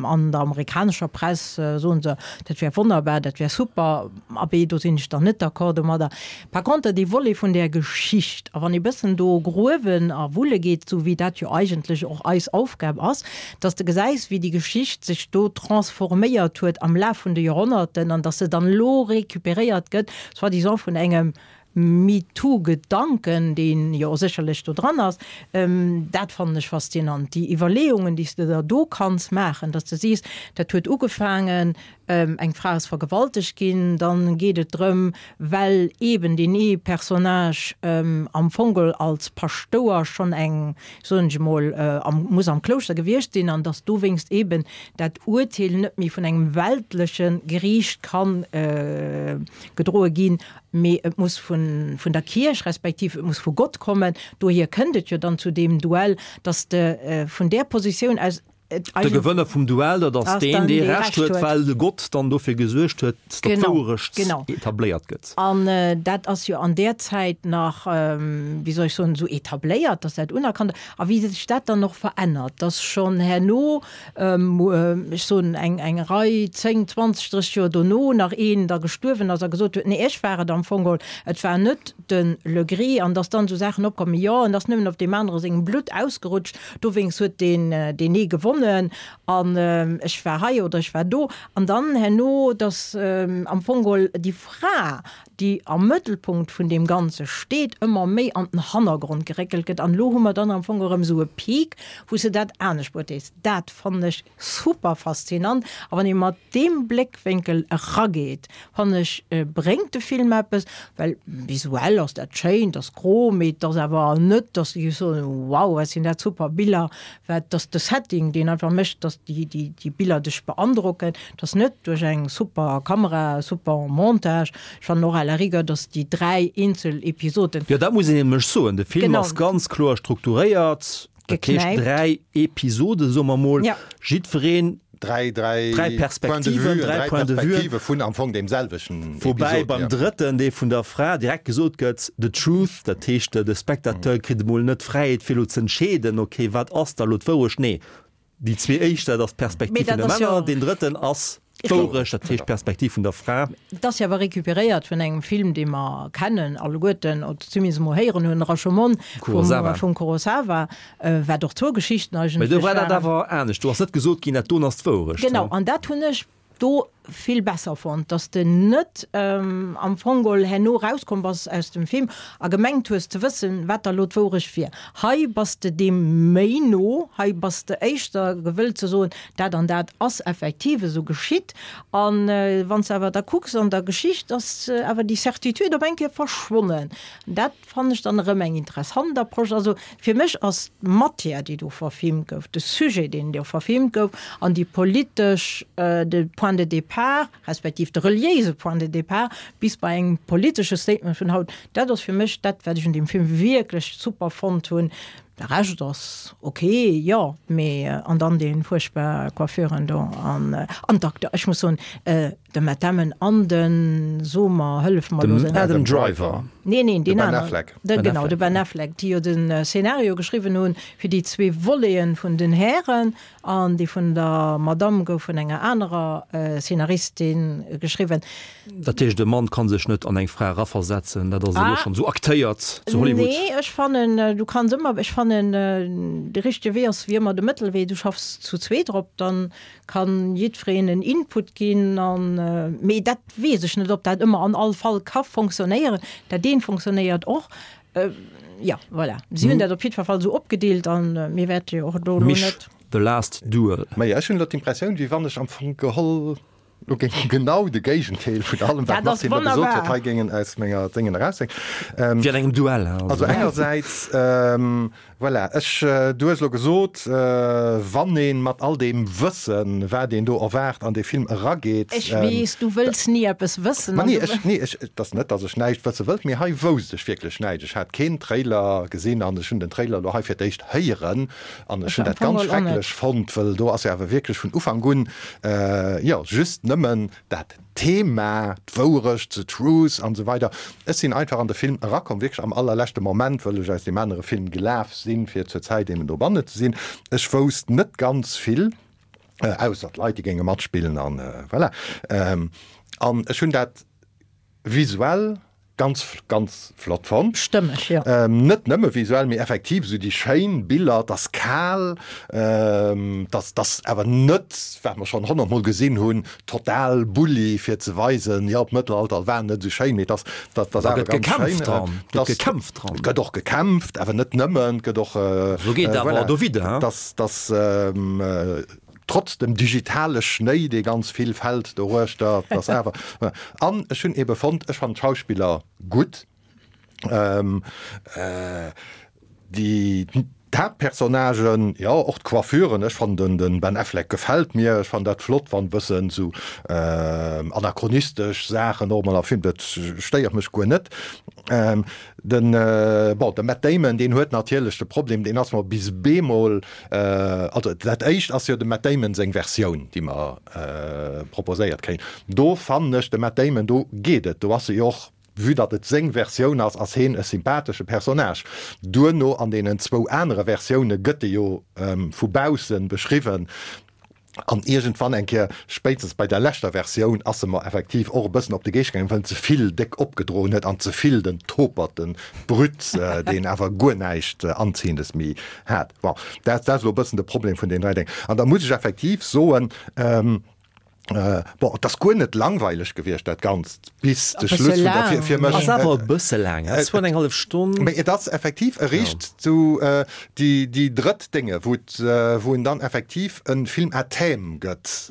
An der amerikanescher Press soen se, dat wär wonnerbar, dat wär super. Abee, do sinn ech dann net d'accord domadder. Par conter dee Volet vun där Geschicht, a wann ee bëssen do gruewen a wulle geet, esou wéi dat jo eigentlech och eis Aufgab ass, dass de gesäis, wéi déi Geschicht sech do transforméiert huet am Laf vun de Joerhonnerten an dass se dann elo récupéréiert gëtt, soi-disant vun engem MeToo-Gedanken, dee jo sécherlech do dran ass, dat fannen ech faszinant. Déi Iwwerleeungen, déi s de der do kanns maachen, dass de sees, dat huet ugefaangen, Eng Fra ass vergewaltegt ginn, dann geet et drëm, well eben deen ee Personnage am Fong als Paschtouer schonn eng, soen ech emol, am, muss am Klouschter gewiescht sinn an datt dowéinst eben dat Urteel net méi vun engem weltleche Geriicht kann gedroe ginn, mee et muss vun, vun der Kierch respektiv et muss vu Gott kommen. Dohier kënnt et jo dann zu deem Duell, datt de vun där Positioun aus, De Gewënner vum Duell, dat ass deen, dee Recht huet, well de Gott dann dofir gesuergt huet, datt d'Wouerecht etabléiert gëtt. An dat ass jo an där Zäit nach, wéi soll ech soen, esou etabléiert, datt dat unerkannt ass. A wéi sech dat dann och verännert, datt schonn herno, ech soen eng Rei, 10, 20, 30 Joer dono nach een da gestuerwen ass a gesot huet, nee, ech war et am Fong geholl, et war net de Legris, an datt dann esou Saachen opkommen, jo, en ass nëmmen op deem anere sengem Blutt ausgerutscht, Dowéinst huet deen deen ee gewonnen an ech war hei oder ech war do. An dann herno, datt am Fong geholl déi Fra, déi am Mëttelpunkt vun deem Ganze steet, ëmmer méi an den Hannergrond geréckelt gëtt. An elo hu mer dann am Fong erëm esou e Peak, wou s de dat anescht beurteels. Dat fannen ech super faszinant. A wann ee mat deem Bléckwénkel erageet, fannen ech, bréngt de Film eppes, well visuell ass dat schéin, et ass gro, mee et ass awer net, dass de géifs soen, wow, wat sinn dat super Biller, well et ass de Setting, deen einfach mécht, dass déi, déi, déi Biller dech beandrocken. Et ass net duerch eng super Kamera, super Montage. Ech fannen och à la rigueur, dass déi 3 eenzel Episoden. Jo, dat muss een nämlech soen, de Film ass ganz kloer strukturéiert. Dat heescht 3 Episoden, soe mer mol, jiddwereen 3, 3, 3 Perspektiven, 3 Points de vue vun am Fong deem selwechten Episod. Woubäi beim drëtten, dee vun der Fra, direkt gesot gëtt, the truth, dat heescht de Spectateur kritt emol net d'Fräiheet fir elo z'entscheeden, okay, wat ass da elo d'Wourecht? Nee, déi zwee éischt, dat ass d'Perspektiv vun de Männer, deen drëtten ass D'Wourecht, dat heescht d'Perspektiv vun der Fra. Et ass jo awer recuperéiert vun engem Film, dee mer kennen alleguerten, oder zumindest emol héieren hunn, Rashomon vum Kurosawa, wat och zwou Geschichten eigentlech waren. Mä do war dat awer anescht. Do ass net gesot ginn, dat doen ass d'Wourecht. Genau, an dat hunn ech do. vill besser fonnt, dass de net am Fong geholl herno rauskomm bass aus dem Film a gemengt hues ze wëssen, wat da lo d'Wourecht wier. Hei bass de deem méi no, hei bass de éischter gewëllt ze soen, dat an dat ass effektiv esou geschitt. A wann s de awer da kucks an der Geschicht, ass awer déi Certitude op eng Kéier verschwonnen. Dat fannen ech dann erëm eng interessant Approche. Also fir mech ass d'Matière, déi do verfilmt gouf, de Sujet, deen do verfilmt gouf, an déi politesch, de Point de départ, respektiv de reliéise Point de départ bis bei engem politesche Statement vun haut, dat ass fir mech dat, wat ech un deem Film wierklech super fonnt hunn. De Rescht ass ok, jo, mee an dann dee fuerchtbar Coiffuren do an an d'Acteur, ech muss soen, de Matt Damon an de, so mer, hëllef mer elo, Den Adam Driver. Nee, neen, De deen Ben aneren. Affleck. De, genau, de Ben Affleck, déi jo de Szenario geschriwwen hunn fir déi zwee Voleten vun den Hären. An déi vun der Madamm gouf vun enger anerer Szenaristin geschriwwen. Dat heescht, e Mann ka sech net an eng Fra eraversetzen, dat ass elo schonn esou aktéiert zu Hollywood? Nee, ech fannen, du kanns ëmmer, ech fannen, de richtege Wee ass wéi ëmmer de Mëttelwee. Du schaffs zu zweet drop, dann kann jiddwereen en Input ginn an, mee dat weess ech net, ob dat ëmmer an all Fall ka fonctionnéieren. Dat eent fonctionnéiert och. Jo, voilà. Si hunn dat op jiddwer Fall esou opgedeelt an mir wäerte jo och do elo Mich, net. The Last Duel. Majo, ech hunn elo d'Impressioun, wéi wann ech am Fong geholl elo géing genau de Géigendeel vun allem, wat Dat ass d'Martine elo gesot huet, wonnerbar. hei géingen aus menger Déngen eraushänken. Wéi an engem Duell, hein, Also also. engersäits, voilà, ech, du hues elo gesot, wann ee mat all deem Wëssen, wat een do erwaart, an dee Film erageet. Ech weess, du wëlls ni eppes wëssen. Ma nee, ech, nee, ech, et ass net, datt ech näischt wësse wëllt, mee hei wousst ech wierklech näischt. Ech hat keen Trailer gesinn an ech hunn den Trailer elo hei fir d'éischt héieren an ech hunn dat ganz schrecklech fonnt, wëll do ass jo awer wierklech vun Ufank un, jo, just nëmmen dat Thema, d'Wourecht, the truth an esou weider. Ech sinn einfach an de Film erakomm, wierklech am allerleschte Moment, wëll ech aus deem anere Film gelaf sinn, fir zur Zäit eben dobanne ze sinn. Ech wousst net ganz vill, ausser d'Leit, déi géinge matspillen an voilà. An ech hunn dat visuell Ganz, ganz flott fonnt. Stëmmeg, jo. Net nëmme visuell, mee effektiv esou déi schéin Biller. Et ass kal, et ass, et ass awer net, wat mer schonn honnertmol gesinn hunn, total Bulli fir ze weisen, jo d'Mëttelalter war net esou schéin, mee et ass, et ass Da awer gëtt ganz schéin. gekämpft dran, Et gëtt ass, gekämpft dran. et gëtt och gekämpft, awer net nëmmen, et gëtt och, Esou geet awer voilà, dowidder, hein. et ass, et ass, Trotz dem digitale Schnéi, dee ganz vill fält doruechter, et ass awer. An ech hunn ebe fonnt, ech fannen d'Schauspiller gutt. Déi d'Haaptpersonnagen, jo, och d'Coiffuren, ech fannen den Ben Affleck gefält mir, ech fannen dat flott, wann e bëssen esou anachronistesch Saachen och emol a Film, dat stéiert mech guer net. Den, bon, de Matt Damon, deen huet natierlech de Problem, deen ass mer bis bemol, also dat éischt ass jo dem Matt Damon seng Versioun, déi mer proposéiert kréien. Do fannen ech de Matt Damon, do geet et, do ass e jo och, vue datt et seng Versioun ass, ass heen e sympathesche Personnage. Duerno an deenen zwou anere Versioune gëtt e jo vu bausse beschriwwen. An iergendwann eng Kéier, spéitstens bei der leschter Versioun, ass se mer effektiv och e bëssen op de Geescht gaangen, well en ze vill déck opgedroen huet an ze vill den Topert, den Brut, deen awer guer näischt Anziehendes méi hat. Bon, dat ass elo e bëssen de Problem vun deenen 3 Déng. An da muss ech effektiv soen, bon, et ass guer net langweileg gewiescht, dat Ganzt. Bis de Schluss vun der fir, fir mech. Ass awer e bësse laang, hein? Zwou an eng hallef Stonn. Mee et ass effektiv eréischt zu déi, déi drëtt Dénge, wou et, wou en dann effektiv e Film à thème gëtt.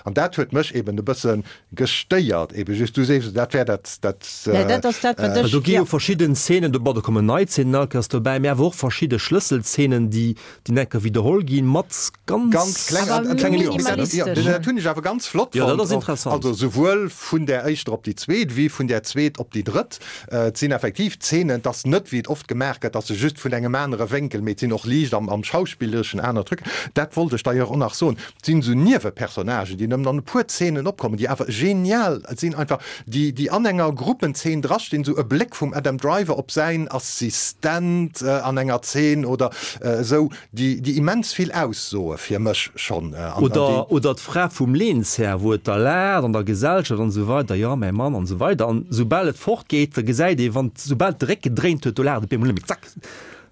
An dat huet mech eben e bësse gestéiert, ebe just, du sees, dat wär dat, dat. Ja, dat ass dat, wat ech. Do gi jo verschidden Szenen, do, bon, do kommen nei Szenen all Kéiers dobäi, mee awer och verschidde Schlësselszenen, déi, déi enker widderholl ginn mat ganz, ganz kleng, Awer klengen minimalistesch. Ja, dat hunn ech awer ganz flott Ja, dat fonnt. ass interessant. Also souwuel vun där éischter op déi zweet wéi vun där zweet op déi drëtt. Et sinn effektiv Zeenen, et ass net wéi et oft gemaach gëtt, dass se just vun engem anere Wénkel, mee et sinn och liicht am, am Schauspillereschen aner Trucken. Dat wollt ech d'ailleurs och nach soen. Et sinn esou Niewepersonnagen, déi nëmmen an e puer Zeenen opkommen, déi awer genial sinn einfach, déi, déi an enger Gruppenzeen drastinn, esou e Bléck vum Adam Driver op säin Assistent an enger Zeen oder esou, déi, déi immens vill aussoe fir mech schonn. An, Oder, déi. oder d'Fra vum Lehnshär, wou et da laacht an der Gesellschaft an esou weider, jo, mäi Mann an esou weider. An soubal et fortgeet, da gesäit ee, wann, soubal de Réck gedréint huet, do laacht et op eemol net méi, zack.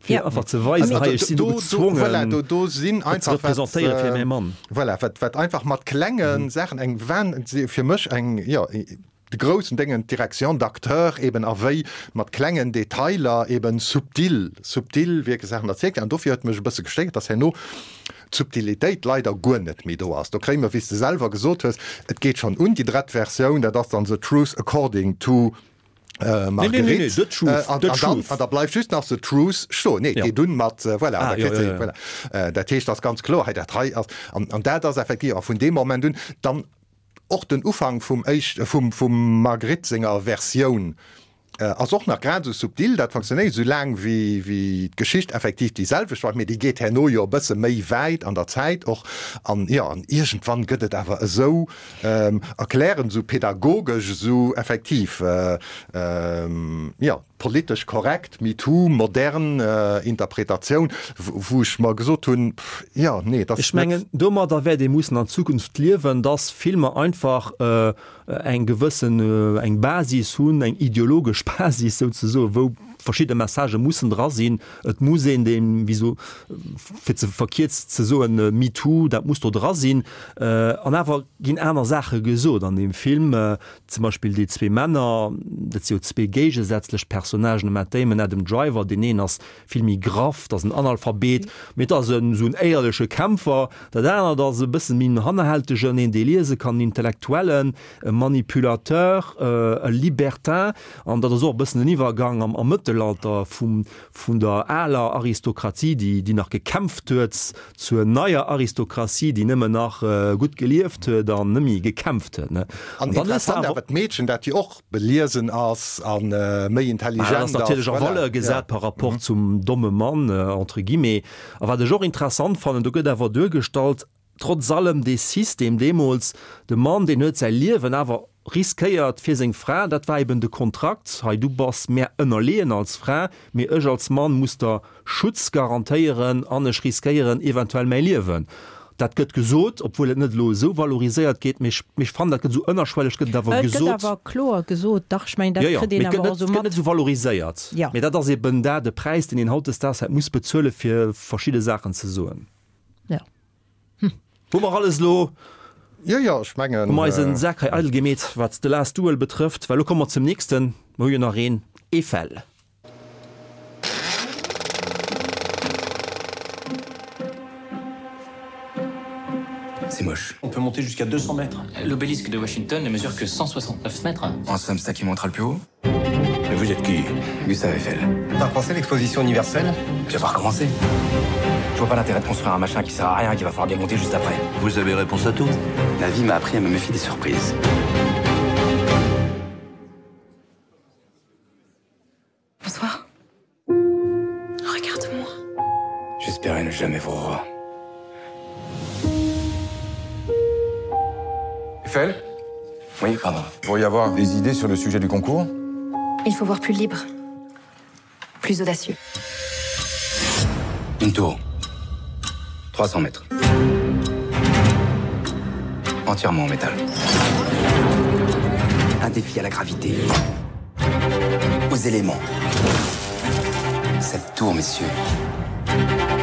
Fir einfach ze weisen, hei ech sinn do gezwongen, voilà, do, do sinn dat ze einfach wat, representéiere fir mäi Mann. Voilà, wat, wat einfach mat klenge Saachen eng Wahn, fir mech eng, jo, de groussen Déngen, d'Direction d'acteur eben a wéi mat klengen Detailer eben subtil, subtil wierklech Saachen erzielt ginn. An dofir huet mech e bësse gestéiert, dass herno d'Subtilitéit leider guer net méi do ass. Do kréie mer, wéi s de selwer gesot hues, et geet schonn un, déi drett Versioun, dat ass dann The Truth According to Marguerite. An da bleift just nach The Truth stoen. Nee, et geet un mat, voilà, da kritt se, voilà. Dat heescht, ass ganz kloer, hei dat hei ass, an dat ass effektiv, a vun deem Moment un dann och den Ufank vum éischt, vum, vum Marguerite senger Versioun ass och nach grad esou subtil, dat fonctionnéiert esou laang wéi, wéi d'Geschicht effektiv déi selwecht bleift, mee déi geet herno jo e bësse méi wäit an der Zäit och an, jo, an iergendwann gëtt et awer esou erklärend, esou pädagogesch, esou effektiv, jo. Politesch korrekt, MeToo, modern Interpretatioun, wou ech mer gesot hunn, pff, jo, nee, et ass Ech mengen, net. domadder wäert ee mussen an Zukunft liewen, dass Filmer einfach eng gewëssen, eng Basis hunn, eng ideologesch Basis souzesoen, wou verschidde Messagë mussen dra sinn. Et muss een dee, wéi so, fir ze verkierzt ze soen, MeToo, dat muss do dra sinn. An awer ginn aner Saache gesot an deem Film. Zum Beispill déi zwee Männer, dat si jo zwee géigesätzlech Personnagen, de Matt Damon, Adam Driver, deen een ass vill méi graff, dat ass en Analphabet, mee et ass en esou en éierleche Kämpfer, dat anert ass e bësse méi en Hannerhältegen, een dee liese kann, en Intellektuellen, e Manipulateur, e Libertin, an dat ass och e bëssen en Iwwergang am am Mëttelalter vum vun der aler Aristokratie, déi déi nach gekämpft huet, zur neier Aristokratie, déi nëmmen nach gutt gelieft huet an net méi gekämpft huet. An An dann hues de interessant awer awer d'Meedchen, dat jo och beliesen ass a méi intelligent ass. Dat ass natierlech a Valeur gesat par rapport zum domme Mann, entre guillemets. A wat ech och interessant fannen, do gëtt awer duergestallt, Trotz allem, dee System deemools, de Mann, deen huet säi Liewen awer riskéiert fir seng Fra, dat war eben de Kontrakt, hei du bass mär ënnerleeën als Fra, mee ech als Mann muss der Schutz garantéieren an ech riskéieren eventuell mäi Liewen. Dat gëtt gesot, obwuel et net elo esou valoriséiert gétt, mee ech fannen, dat gëtt esou ënnerschwelleg gëtt et awer gesot. Et gëtt awer kloer gesot, dach, ech mengen, dat kritt een awer och esou mat. Jo, jo, mee et gëtt net esou valoriséiert. Mee dat ass eben dat, de Präis, deen een hautdesdaags hätt muss bezuelen, fir verschidde Saachen ze soen. Ja. Hm. Hu mer alles elo? Jo, jo, ech mengen. Hu mer eisen Sak hei eidel gemeet, wat The Last Duel betrëfft? Well elo komme mer zum nächsten. Mer hu jo nach een, Eiffel. C'est moche. On peut monter jusqu'à 200 mètres. L'obélisque de Washington ne mesure que 169 mètres. En somme, c'est qui montera le plus haut Mais vous êtes qui Gustave Eiffel. T'as pensé l'exposition universelle Tu vas pas recommencer. Je vois pas l'intérêt de construire un machin qui sert à rien, qui va falloir démonter juste après. Vous avez réponse à tout La vie m'a appris à me méfier des surprises. Bonsoir. Regarde-moi. J'espérais ne jamais vous revoir. Eiffel Oui, pardon. Vous pourriez avoir des idées sur le sujet du concours Il faut voir plus libre, plus audacieux. Une tour. 300 mètres. Entièrement en métal. Un défi à la gravité. Aux éléments. Cette tour, messieurs,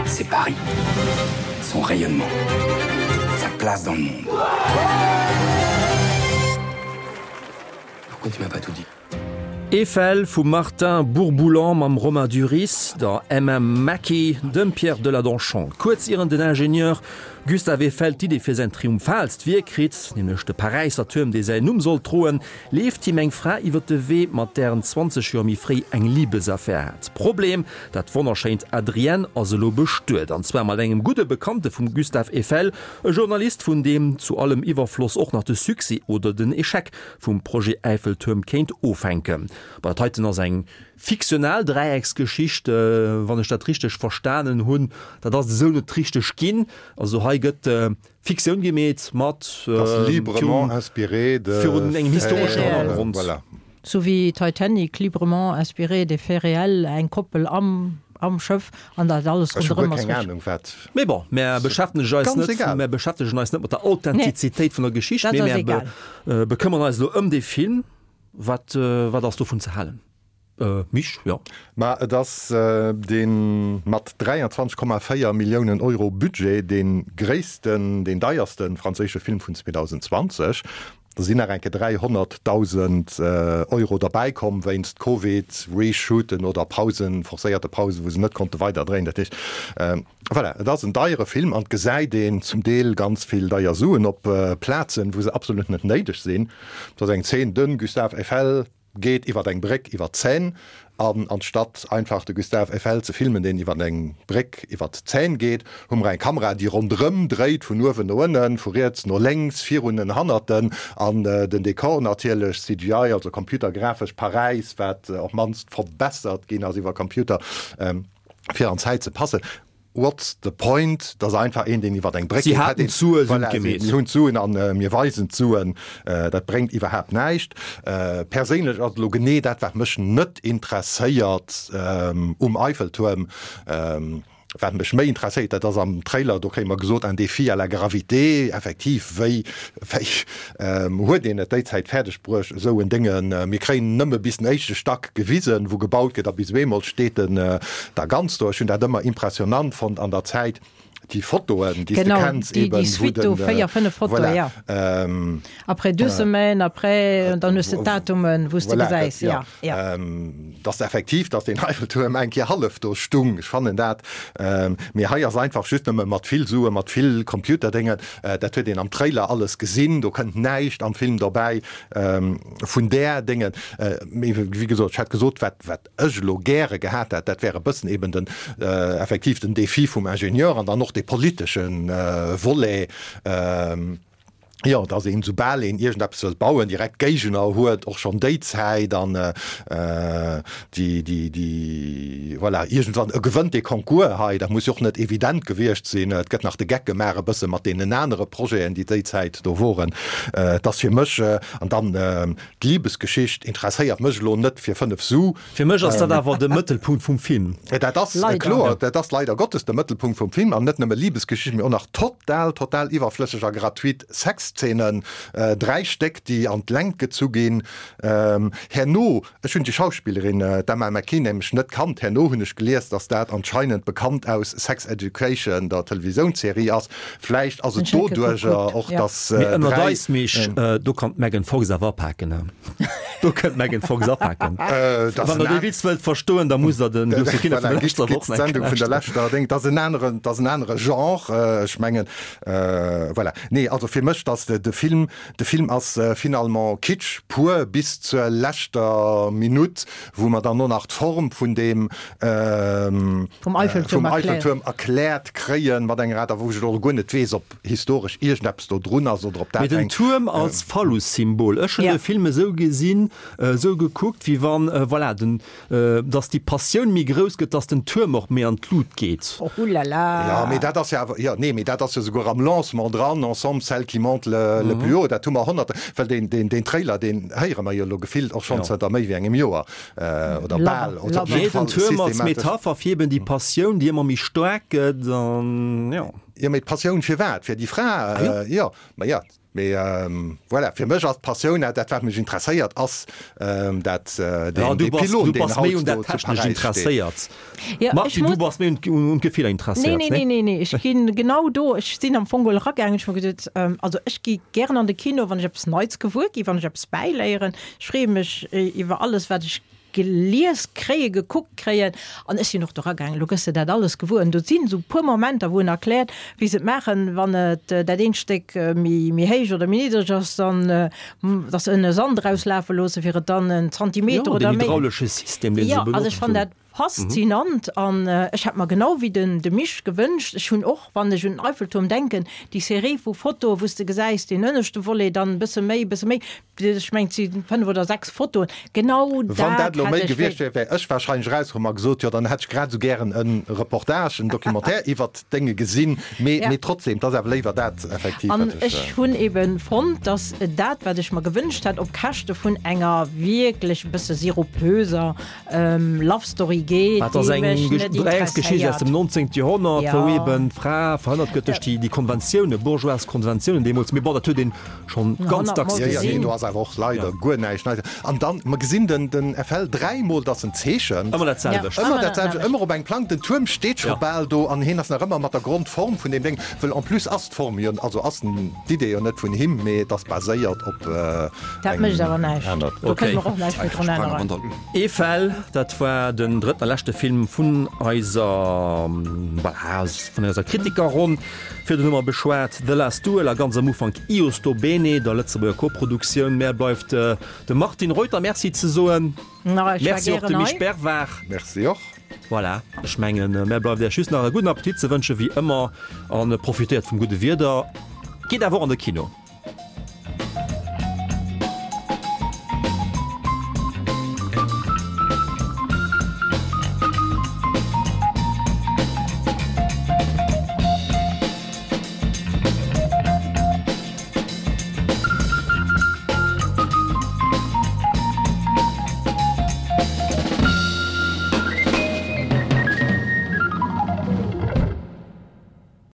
c'est Paris. Son rayonnement. Sa place dans le monde. Pourquoi tu m'as pas tout dit? Eiffel vum Martin Bourboulon mam Romain Duris, der Emma Mackey, dem Pierre Deladonchamps. Kuerz ieren den Ingenieur Gustave Eiffel d'Idee fir säin triumphaalst Wierk kritt, nämlech de Paräisser Tuerm, dee säin Numm sollt droen, leeft him eng Fra iwwer de Wee, mat där en 20 Joer méi fréi eng Libesaffär hat. Problem, Dat wonnerschéint Adrienne ass elo bestuet, an zwar mat engem gudde Bekannte vum Gustave Eiffel, e Journalist, vun deem zu allem Iwwerfloss och nach de Succès oder den Echec vum Projet Äiffeltuerm kéint ofhänken. Bon, dat heiten ass eng fiktional Dräiecksgeschicht, wann ech dat richteg verstanen hunn. Dat ass et esou net richteg ginn. Also hei gëtt Fiktioun gemeet mat librement inspiré de virun engem historeschen Hannergrond. Voilà. Sou wéi Titanic, librement inspiré des faits réels, eng Koppel am am Schëff an dat alles Ech hu guer ronderëm ass keng richteg. Ahnung wat. Mee bon, mär beschäftegen eis Ganz net, egal. mär beschäftegen eis net mat der Authentizitéit vun der Geschicht, Dat mee ass mär egal. bekëmmern eis elo ëm dee Film. Wat, wat ass dovun ze halen? Mich, jo. Ma et ass dee mat 23,4 Milliounen Euro Budget dee gréissten, deen deierste franséische Film vun 2020. Da sinn nach eng Kéier 300.000 Euro derbäi komm wéinst Covid, Reshooten oder Pausen, forcéierte Pausen, wou se net konnte weider dréien. Dat heescht, voilà, et ass en deiere Film an et gesäit een zum Deel ganz vill deier Suen op Plazen, wou se absolut net néideg sinn. Et ass eng Zeen, de Gustave Eiffel geet iwwer eng Bréck iwwer d'Seine an anstatt einfach de Gustave Eiffel ze filmen, deen iwwer eng Bréck iwwer d'Seine geet, hu mer eng Kamera, déi ronderëm dréit, vun uewen no ënnen, vu riets no lénks, virun en hannert en, an den Dekor natierlech, CGI, also computergrafesch Paräis, wat op d'mannst verbessert ginn ass iwwer Computer, fir an d'Zäit ze passen. What's the point? Dat ass einfach een, deen iwwer eng Bréck geet. Si haten d'Sue, si hunn et gemeet. Si hunn d'Suen a mir weisen d'Suen. Dat bréngt iwwerhaapt näischt. Perséinlech ass et elo genee dat, wat mech net interesséiert um Eiffeltuerm. Wat mech méi interesséiert, dat ass am Trailer, do kréie mer gesot, un défi à la gravité. Effektiv, wéi, wéi huet een et déi Zäit fäerdeg bruecht, esou en Dénge? Mir kréien nëmme bis den éischte Stack gewisen, wou gebaut gëtt a bis op eemol steet en da ganz do. Ech hunn dat ëmmer impressionant fonnt an der Zäit, déi Fotoen, déi s de kenns eben, déi Suite do, 4, 5 Fotoen, jo. Après deux semaines, après, dann hues de d'Datumen, wou s de gesäis, jo, jo. Dass effektiv, dass deen Eiffeltuerm eng Kéier hallef do stung, ech fannen dat, mee hei ass einfach just nëmme mat vill Suen, mat vill Computerdéngen, dat huet een am Trailer alles gesinn, do kënnt näischt am Film dobäi vun där Déngen. Mee wéi gesot, ech hätt gesot, wat, wat ech elo gäre gehat hätt, dat wär e bëssen eben den, effektiv den Défi vum Ingenieur an dann och dee politesche Volet, jo, dass een, soubal een iergendeppes wëllt bauen, direkt Géigner huet, och schonn déi Zäit an déi, déi, déi, voilà, iergendwann e gewënnt dee Concours hei, dat muss jo och net evident gewiescht sinn, et gëtt nach de Geck gemaach e bësse mat deenen anere Projeten, déi déi Zäit do woren. Et ass fir mech, an dann D'Libesgeschicht interesséiert mech elo net fir 5 Su. Fir mech ass dat awer de Mëttelpunkt vum Film. Dat ass kloer, dat ass leider Gottes de Mëttelpunkt vum Film an net nëmme Libesgeschicht, mee och nach total, total iwwerflësseg a gratuit Sexszenen, 3 Stéck, déi an d'Längt gezu ginn. Herno, ech hunn déi Schauspillerin, d'Emma Mackey, nämlech net kannt, herno hunn ech gelies, dass dat anscheinend bekannt aus Sex Education, der Televisiounsserie ass. Vläicht ass et doduercher och, dass Mee ënnert eis, Misch, do kann d'Megan Fox awer apaken, he? Do kënnt d'Megan Fox apaken. Wann der dee Witz wëllt verstoen, da musst der den Lucie Kinner vun der leschter Woch nach eng Kéier lauschteren. Leschter Ding, dat ass en aneren, dat ass en anere Genre, ech mengen, voilà. Nee, also fir mech, dass de Film, de Film ass finalement Kitsch pur bis zur leschter Minutt, wou mer dann och nach d'Form vun deem, vum Eiffeltuerm erkläert, erkläert kréien, mat enger Aart a wou ech elo guer net weess, ob historesch iergendeppes do drun ass oder ob dat Mee den eng. Tuerm als Phallus-Symbol, ech hunn de Film esou gesinn, esou gekuckt, wéi wann, voilà, den, dass déi Passioun méi grouss gëtt, dass den Tuerm och méi an d'Lut geet. Oulala! Jo, mee dat ass jo awer, jo, nee, mee dat ass jo souguer am Lancement dran, Ensemble, celle qui monte le, le plus haut, dat hu mer honnerte, well deen, deen, deen Trailer, deen héiere mer jo elo gefillt och schonn zënter méi wéi engem Joer. Oder bal. Oder op jidde Fall Tuerm als Metapher fir eben déi Passioun, déi ëmmer méi staark gëtt an jo. Jo, mee d'Passioun fir wat? Fir déi Fra? Jo, ma jo, mee voilà, fir mech ass d'Passioun, dat wat mech interesséiert, ass dat deen dee Pylon, deen haut do zu Paräis steet. Martine, du bass méi un d'Gefiller interesséiert, nee? Nee, nee, nee, ech ginn genau do, ech sinn am Fong geholl eragaangen, ech hu mer gesot, also ech gi gären an de Kino, wann ech eppes Neits gewuer gi, wann ech eppes bäiléieren. Ech freeë mech iwwer alles, wat ech gelies kréien, gekuckt kréien. An ech sinn och do eragaangen, elo gëss de dat alles gewuer. An do sinn esou e puer Momenter, wou en erkläert, wéi se et maachen, wann et dat eent Stéck méi méi héich oder méi niddreg ass, dann, dass se ënne Sand erauslafe loosse fir et dann en Zantimeter Jo, oder den méi. hydraulesche System, dee se Jo, also benotzt ech fannen hunn. dat faszinant an ech hätt mer genau wéi den de Misch gewënscht, ech hunn och, wann ech un den Eiffeltuerm denken, déi Serie vu Fotoe wou s de gesäis, deen ënneschte Volet, dann e bësse méi, e bësse méi, ech mengen et si 5 oder 6 Fotoen, genau Wann dat dat elo hätt méi ech gewiescht wéi. wär, wär ech wahrscheinlech erauskomm a gesot, jo dann hätt ech grad esou gären e Reportage, en Documentaire iwwert d'Dénge gesinn, mee Ja. mee trotzdem, et ass awer léiwer dat effektiv An wat ech. ech hunn eben fonnt, dass dat wat ech mer gewënscht hat, op Käschte vun enger wierklech e bësse sirupöser Love Story. geet, Dat ass déi eng mech net Dreiecksgeschicht aus interesséiert. dem 19. Joerhonnert, wou Ja. eben d'Fra verhënnert gëtt duerch déi, déi Konventiounen, bourgeoise Konventiounen deemools. Mee bon, dat huet een schonn ganz dacks Ja, ja, nee, gesinn. do ass awer och leider guer näischt Neies. An dann, mer gesinn den, den FL dräimol, dass en zeechent. Ëmmer dat selwecht. Ëmmer dat selwecht, ëmmer op eng Plank. Den Tuerm steet scho bal do an hien ass nach ëmmer mat der Grondform vun deem Déng, wëll en plus ass d'Form jo, also ass den, d'Idee jo net vun him, mee et ass baséiert op Dat eng mécht awer näischt. aner. Do kënne mer och näischt méi drun änneren. Eiffel, dat war den drëtten a leschte Film vun eiser, voilà, vun eiser Kritikerronn. Virdrun hu mer beschwat The Last Duel a ganz am Ufank Io sto bene, der Lëtzebuerger Koproduktioun. Mär bleift dem Martine Reuter Merci ze soen. Merci och dem Misch Bervard. Merci och. Voilà, ech mengen, mär bleift Iech just nach e gudden Appetit ze wënschen, wéi ëmmer, a profitéiert vum gudde Wieder. Gitt awer och an de Kino.